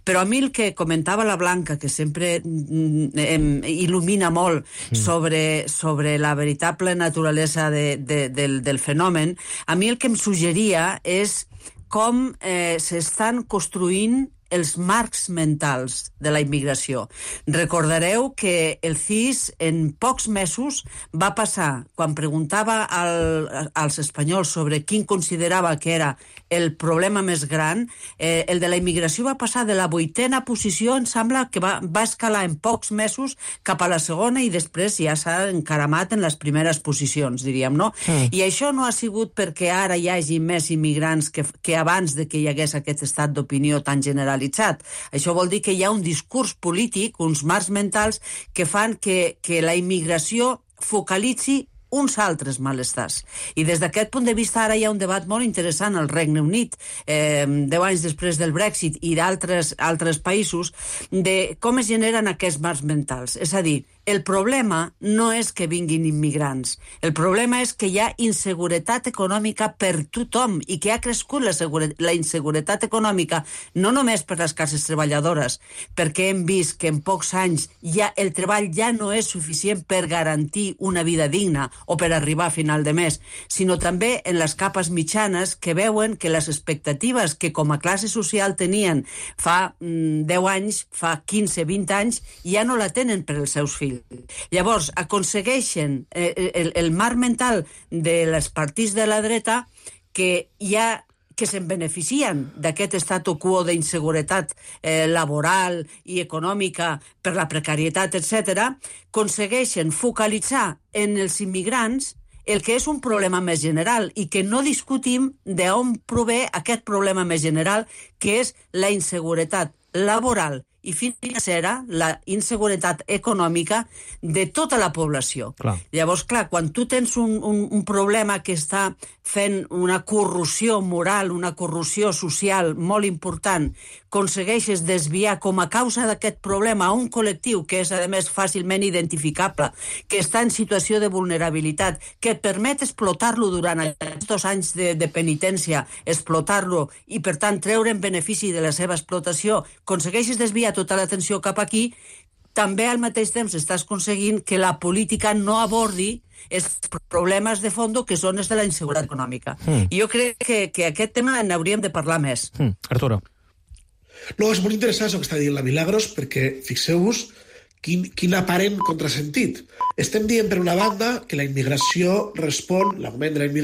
Però a mi el que comentava la Blanca, que sempre em il·lumina molt sobre, sobre la veritable naturalesa de, de, del, del fenomen, a mi el que em suggeria és com eh, s'estan construint els marcs mentals de la immigració. Recordareu que el C I S en pocs mesos va passar, quan preguntava al, als espanyols sobre quin considerava que era el problema més gran, eh, el de la immigració va passar de la vuitena posició, em sembla que va, va escalar en pocs mesos cap a la segona, i després ja s'ha encaramat en les primeres posicions, diríem, no? Mm. I això no ha sigut perquè ara hi hagi més immigrants que, que abans de que hi hagués aquest estat d'opinió tan general. Això vol dir que hi ha un discurs polític, uns marcs mentals, que fan que, que la immigració focalitzi uns altres malestars. I des d'aquest punt de vista ara hi ha un debat molt interessant al Regne Unit, eh, deu anys després del Brexit i d'altres altres països, de com es generen aquests marcs mentals. És a dir, el problema no és que vinguin immigrants. El problema és que hi ha inseguretat econòmica per tothom, i que ha crescut la, la inseguretat econòmica no només per les classes treballadores, perquè hem vist que en pocs anys ja el treball ja no és suficient per garantir una vida digna o per arribar a final de mes, sinó també en les capes mitjanes, que veuen que les expectatives que com a classe social tenien fa mm, deu anys, fa quinze, vint anys, ja no la tenen per als seus fills. Llavors, aconsegueixen eh, el, el marc mental de les partits de la dreta que hi ha que se'n beneficien d'aquest statu quo d'inseguretat eh, laboral i econòmica per la precarietat, etcètera, aconsegueixen focalitzar en els immigrants el que és un problema més general i que no discutim d'on prové aquest problema més general, que és la inseguretat laboral i financera, la inseguretat econòmica de tota la població. Clar. Llavors, clar, quan tu tens un, un, un problema que està fent una corrosió moral, una corrosió social molt important, aconsegueixes desviar com a causa d'aquest problema a un col·lectiu que és, a més, fàcilment identificable, que està en situació de vulnerabilitat, que et permet explotar-lo durant aquests anys de, de penitència, explotar-lo i, per tant, treure en benefici de la seva explotació, aconsegueixes desviar tota l'atenció cap aquí, també al mateix temps estàs aconseguint que la política no abordi els problemes de fons que són els de la inseguretat econòmica. Mm. I jo crec que, que aquest tema n'hauríem de parlar més. Mm. Arturo. No, és molt interessant el que està dient la Milagros, perquè fixeu-vos quin, quin aparent contrasentit. Estem dient, per una banda, que la immigració respon, l'augment de la immigració